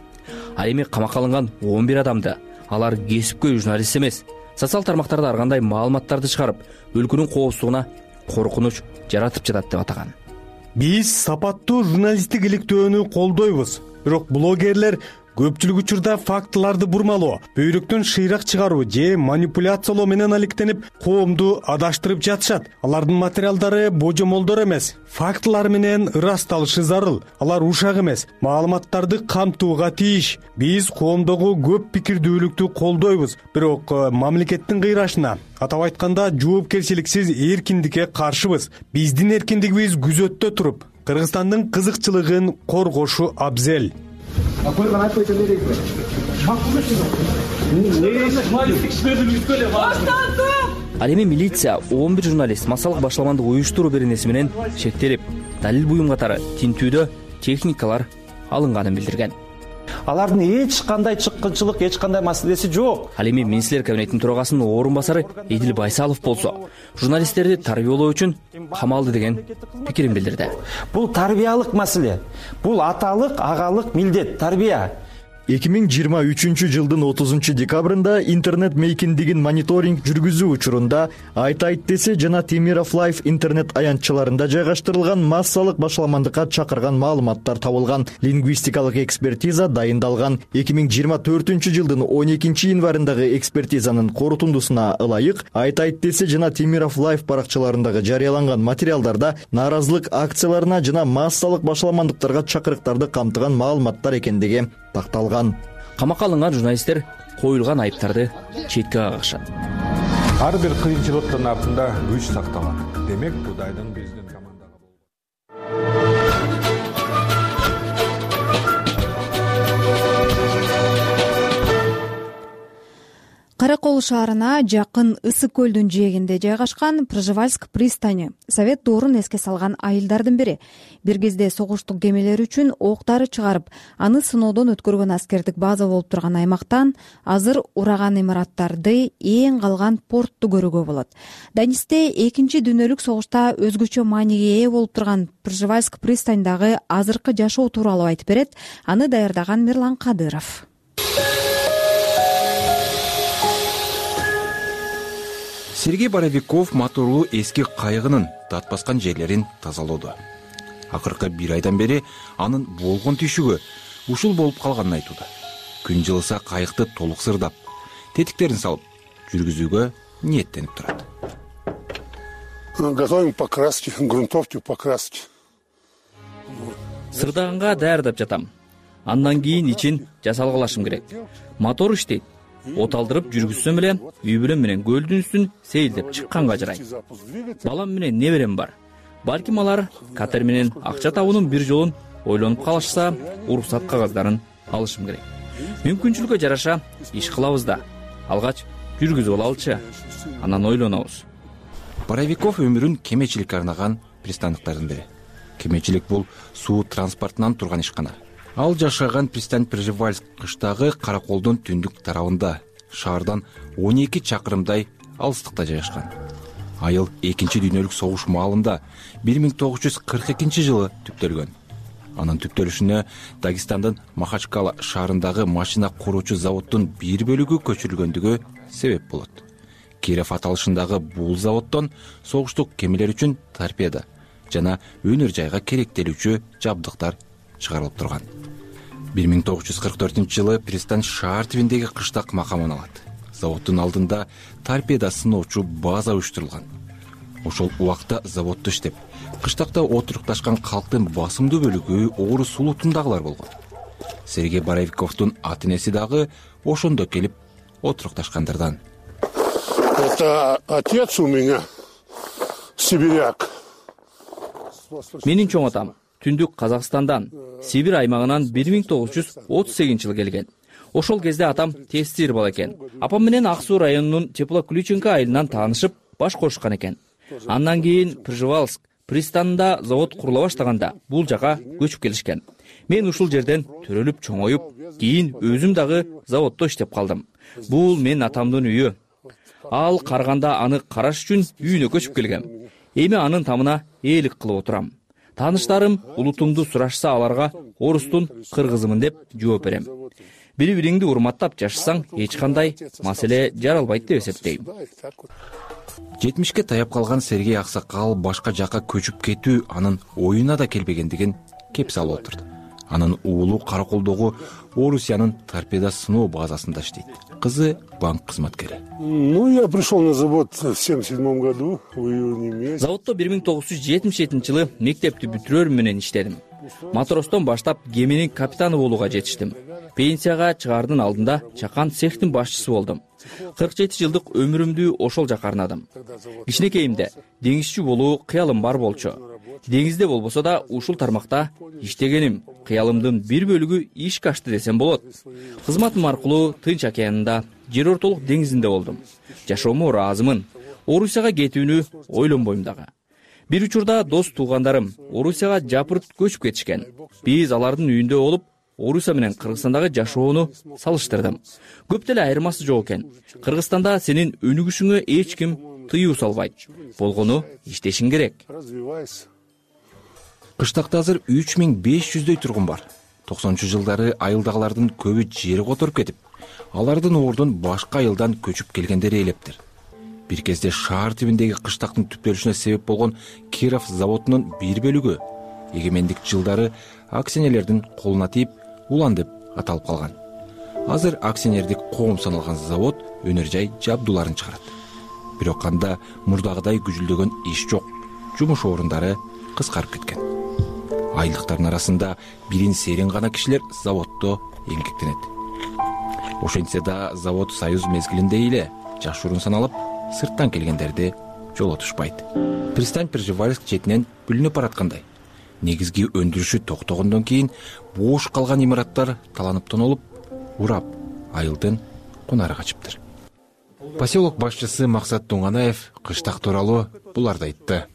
Ал эми камакка алынган он бир адамды алар кесипкөй журналист эмес, социал тармактарда ар кандай маалыматтарды чыгарып, өлкөнүн коопсуздугуна коркунуч жаратып жатат деп атаган. Биз сапаттуу журналисттик иликтөөнү колдойбуз, бирок блогерлер көпчүлүк учурда фактыларды бурмалоо, бөйрөктөн шыйрак чыгаруу же манипуляциялоо менен алектенип, коомду адаштырып жатышат. Алардын материалдары божомолдор эмес, фактылар менен ырасталышы зарыл. Алар ушак эмес, маалыматтарды камтууга тийиш. Биз коомдогу көп пикирдүүлүктү колдойбуз, бирок мамлекеттин кыйрашына, атап айтканда жоопкерчиликсиз эркиндикке каршыбыз. Биздин эркиндигибиз күзөттө туруп, Кыргызстандын кызыкчылыгын коргошу абзел. Ал эми милиция он бир журналист массалык башаламандык уюштуруу беренеси менен шектелип, далил буюм катары тинтүүдө техникалар алынганын билдирген. Алардын эч кандай чыккынчылык, эч кандай маселеси жок. Ал эми министрлер кабинетинин төрагасынын орун басары Эдил Байсалов болсо, журналисттерди тарбиялоо үчүн камалды деген пикирин билдирди. Бул тарбиялык маселе. Бул аталык, агалык милдет, тарбия. эки миң жыйырма үчүнчү жылдын отузунчу декабрында интернет мейкиндигин мониторинг жүргүзүү учурунда Айт айт десе жана Темиров Лайф интернет аянтчаларында жайгаштырылган массалык башаламандыкка чакырган маалыматтар табылган. Лингвистикалык экспертиза дайындалган. эки миң жыйырма төртүнчү жылдын он экинчи январындагы экспертизанын корутундусуна ылайык Айт айт десе жана Темиров Лайф баракчаларындагы жарыяланган материалдарда нааразылык акцияларына жана массалык башаламандыктарга чакырыктарды камтыган маалыматтар экендиги такталган. Камакка алынган журналисттер коюлган айыптарды четке кагышат. Ар бир кыйынчылыктын артында күч сакталат. Демек, Кудайдын биздин командага Кара Кол шаарына жакын Ысык көлдүн жээгинде жайгашкан Пржевальск пристани Совет доорун эске салган айылдардын бири. Бир кезде согуштук кемелер үчүн ок дары чыгарып, аны сыноодон өткөргөн аскердик база болуп турган аймактан азыр ураган имараттарды, эң калган портту көрүүгө болот. Данисте экинчи дүйнөлүк согушта өзгөчө мааниге ээ болуп турган Пржевальск пристанидагы азыркы жашоо тууралуу айтып берет. Аны даярдаган Мирлан Кадыров. Сергей Боровиков моторлуу эски кайыгынын дат баскан жерлерин тазалоодо. Акыркы бир айдан бери анын болгон түйшүгү ушул болуп калганын айтууда. Күн жылыса кайыкты толук сырдап, тетиктерин салып, жүргүзүүгө ниеттенип турат. Готовим покраски, грунтовки, покраски. Сырдаганга даярдап жатам. Андан кийин ичин жасалгалашым керек. Мотор иштейт. От алдырып жүргүзсөм эле үй бүлөм менен көлдүн үстүн сейилдеп чыкканга жарайт. Балам менен неберем бар. Балким алар катер менен акча табуунун бир жолун ойлонуп калышса, уруксат кагаздарын алышым керек. Мүмкүнчүлүккө жараша иш кылабыз да. Алгач жүргүзүп алалычы, анан ойлонобуз. Боровиков өмүрүн кемечиликке арнаган пристанктардын бири. Кемечилик бул суу транспортунан турган ишкана. Ал жашаган пристань Пржевальск кыштагы Караколдун түндүк тарабында, шаардан он эки чакырымдай алыстыкта жайгашкан. Айыл экинчи дүйнөлүк согуш маалында бир миң тогуз жүз кырк экинчи жылы түптөлгөн. Анын түптөлүшүнө Дагестандын Махачкала шаарындагы машина куруучу заводдун бир бөлүгү көчүрүлгөндүгү себеп болот. Киров аталышындагы бул заводдон согуштук кемелер үчүн торпеда жана өнөр жайга керектелүүчү жабдыктар чыгарылып турган. бир миң тогуз жүз кырк төртүнчү жылы пристань шаар түбүндөгү кыштак макамын алат. Заводдун алдында торпеда сыноочу база уюштурулган. Ошол убакта заводдо иштеп, кыштакта отурукташкан калктын басымдуу бөлүгү Орус сулутундагылар болгон. Сергей Боровиковдун ата-энеси дагы ошондо келип отурукташкандардан. Это отец у меня сибиряк. Менин чоң атам түндүк Казакстандан, Сибирь аймагынан бир миң тогуз жүз отуз сегизинчи жылы келген. Ошол кезде атам тестир бала экен. Апам менен Ак Суу районунун Теплоключенка айылынан таанышып, баш кошушкан экен. Андан кийин Пржевальск пристанында завод курула баштаганда бул жака көчүп келишкен. Мен ушул жерден төрөлүп чоңоюп, кийин өзүм дагы заводдо иштеп калдым. Бул менин атамдын үйү. Ал карганда аны караш үчүн үйүнө көчүп келгем. Эми анын тамына ээлик кылып отурам. Тааныштарым улутумду сурашса аларга орустун кыргызымын деп жооп берем. Бири-бириңди урматтап жашасаң, эч кандай маселе жаралбайт деп эсептейм. жетимишке таяп калган Сергей аксакал башка жакка көчүп кетүү анын оюна да келбегендигин кеп салып отурду. Анын уулу Караколдогу Орусиянын торпеда сыноо базасында иштейт. Кызы банк кызматкери. Ну, я пришел на завод в семьдесят седьмом году, в июне месяце. Заводдо бир миң тогуз жүз жетимиш жетинчи жылы мектепти бүтүрөр менен иштедим. Матростон баштап кеменин капитаны болууга жетиштим. Пенсияга чыгаардын алдында чакан цехтин башчысы болдум. кырк жети жылдык өмүрүмдү ошол жака арнадым. Кичинекейимде деңизчи болуу кыялым бар болчу. Деңизде болбосо да ушул тармакта иштегеним кыялымдын бир бөлүгү ишке ашты десем болот. Кызматым аркылуу Тынч океанында, Жер ортолук деңизинде болдум. Жашоомо ыраазымын. Орусияга кетүүнү ойлонбойм дагы. Бир учурда дос туугандарым Орусияга жапырт көчүп кетишкен. Биз алардын үйүндө болуп, Орусия менен Кыргызстандагы жашоону салыштырдым. Көп деле айырмасы жок экен. Кыргызстанда сенин өнүгүшүңө эч ким тыюу салбайт. Болгону иштешиң керек. Кыштакта азыр үч миң беш жүздөй тургун бар. токсонунчу жылдары айылдагылардын көбү жери которуп кетип, алардын ордун башка айылдан көчүп келгендери элептир. Бир кезде шаар түбүндөгү кыштактын түптөлүшүнө себеп болгон Киров заводунун бир бөлүгү эгемендик жылдары акционерлердин колуна тийип, улан деп аталып калган. Азыр акционердик коом саналган завод өнөр жай жабдууларын чыгарат. Бирок анда мурдагыдай күжүлдөгөн иш жок. Жумуш орундары кыскарып кеткен. Айылдыктардын арасында бирин серин гана кишилер заводдо эмгектенет. Ошентсе да завод союз мезгилинде эле жашыруун саналып, сырттан келгендерди жолотушпайт. Пристань Пржевальск четинен бүлүнүп бараткандай. Негизги өндүрүшү токтогондон кийин бош калган имараттар таланып тонолуп, урап, айылдын кунары качыптыр. Поселок башчысы Максат Туңанаев кыштак тууралуу буларды айтты.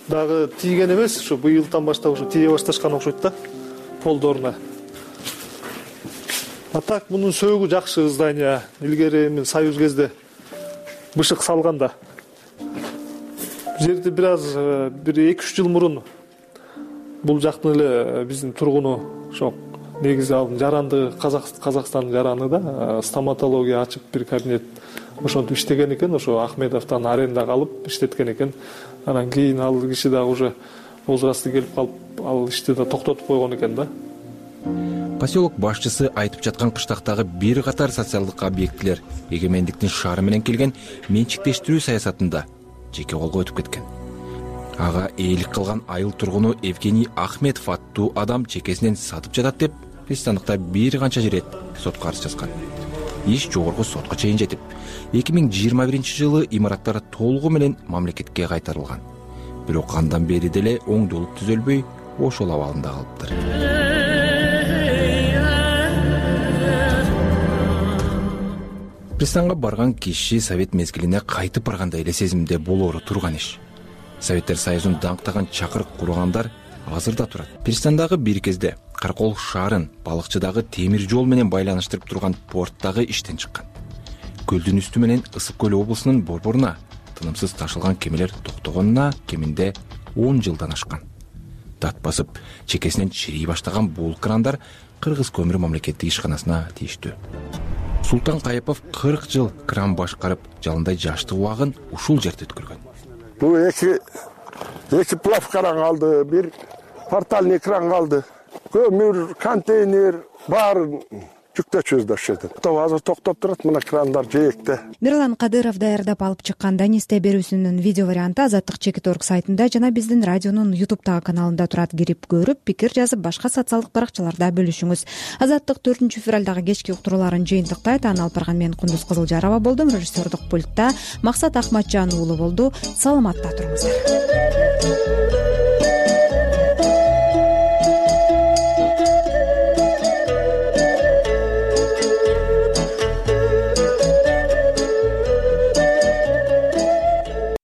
Дагы тийген эмес, ушу быйылдан баштап ушу тие башташкан окшойт да, полдоруна. А так мунун сөөгү жакшы здание. Илгери мен союз кезде бышык салган да. Жерди бир аз бир эки үч жыл мурун бул жактын эле биздин тургуну ошо негизи алдын жарандыгы Казакстандын жараны да, стоматология ачып бир кабинет ошентип иштеген экен, ошо Ахмедовдон арендага алып иштеткен экен. Анан кийин ал киши дагы уже возрасты келип калып, ал ишти да токтотуп койгон экен да. Поселок башчысы айтып жаткан кыштактагы бир катар социалдык объектилер эгемендиктин шаары менен келген менчиктештирүү саясатында жеке колго өтүп кеткен. Ага ээлик кылган айыл тургуну Евгений Ахмедов аттуу адам чекесинен сатып жатат деп пристандыкта бир канча жирет сотко арыз жазган. Иш жогорку сотко чейин жетип, эки миң жыйырма биринчи жылы имараттар толугу менен мамлекетке кайтарылган. Бирок андан бери деле оңдолуп түзөлбөй, ошол абалында калыптыр. пристанга барган киши совет мезгилине кайтып баргандай эле сезимде болоору турган иш. Советтер Союзун даңктаган чакырык кургандар азыр да турат. Пристандагы бир кезде Каракол шаарын балыкчыдагы темир жол менен байланыштырып турган порттагы иштен чыккан. Көлдүн үстү менен Ысык көл облусунун борборуна тынымсыз ташылган кемелер токтогонуна кеминде он жылдан ашкан. Дат басып, чекесинен чирей баштаган бул крандар Кыргыз көмүр мамлекеттик ишканасына тийиштүү. Султан Кайыпов кырк жыл кран башкарып, жалындай жаштык убагын ушул жерде өткөргөн. Бул эки эки плав кран калды, бир портальный кран калды. Көмүр, контейнер баарын жүктөчүбүз да ошол жерде. Азыр токтоп турат мына крандар жээкте. Мирлан Кадыров даярдап алып чыккан Данисте берүүсүнүн видео варианты Азаттык чекит точка орг сайтында жана биздин радионун ютубтагы каналында турат. Кирип көрүп, пикир жазып, башка социалдык баракчаларда бөлүшүңүз. Азаттык төртүнчү февралдагы кечки уктурууларын жыйынтыктайт. Аны алып барган мен Кундуз Кызылжарова болдум. Режиссердук пультта Максат Ахматжан уулу болду. Саламатта туруңуздар.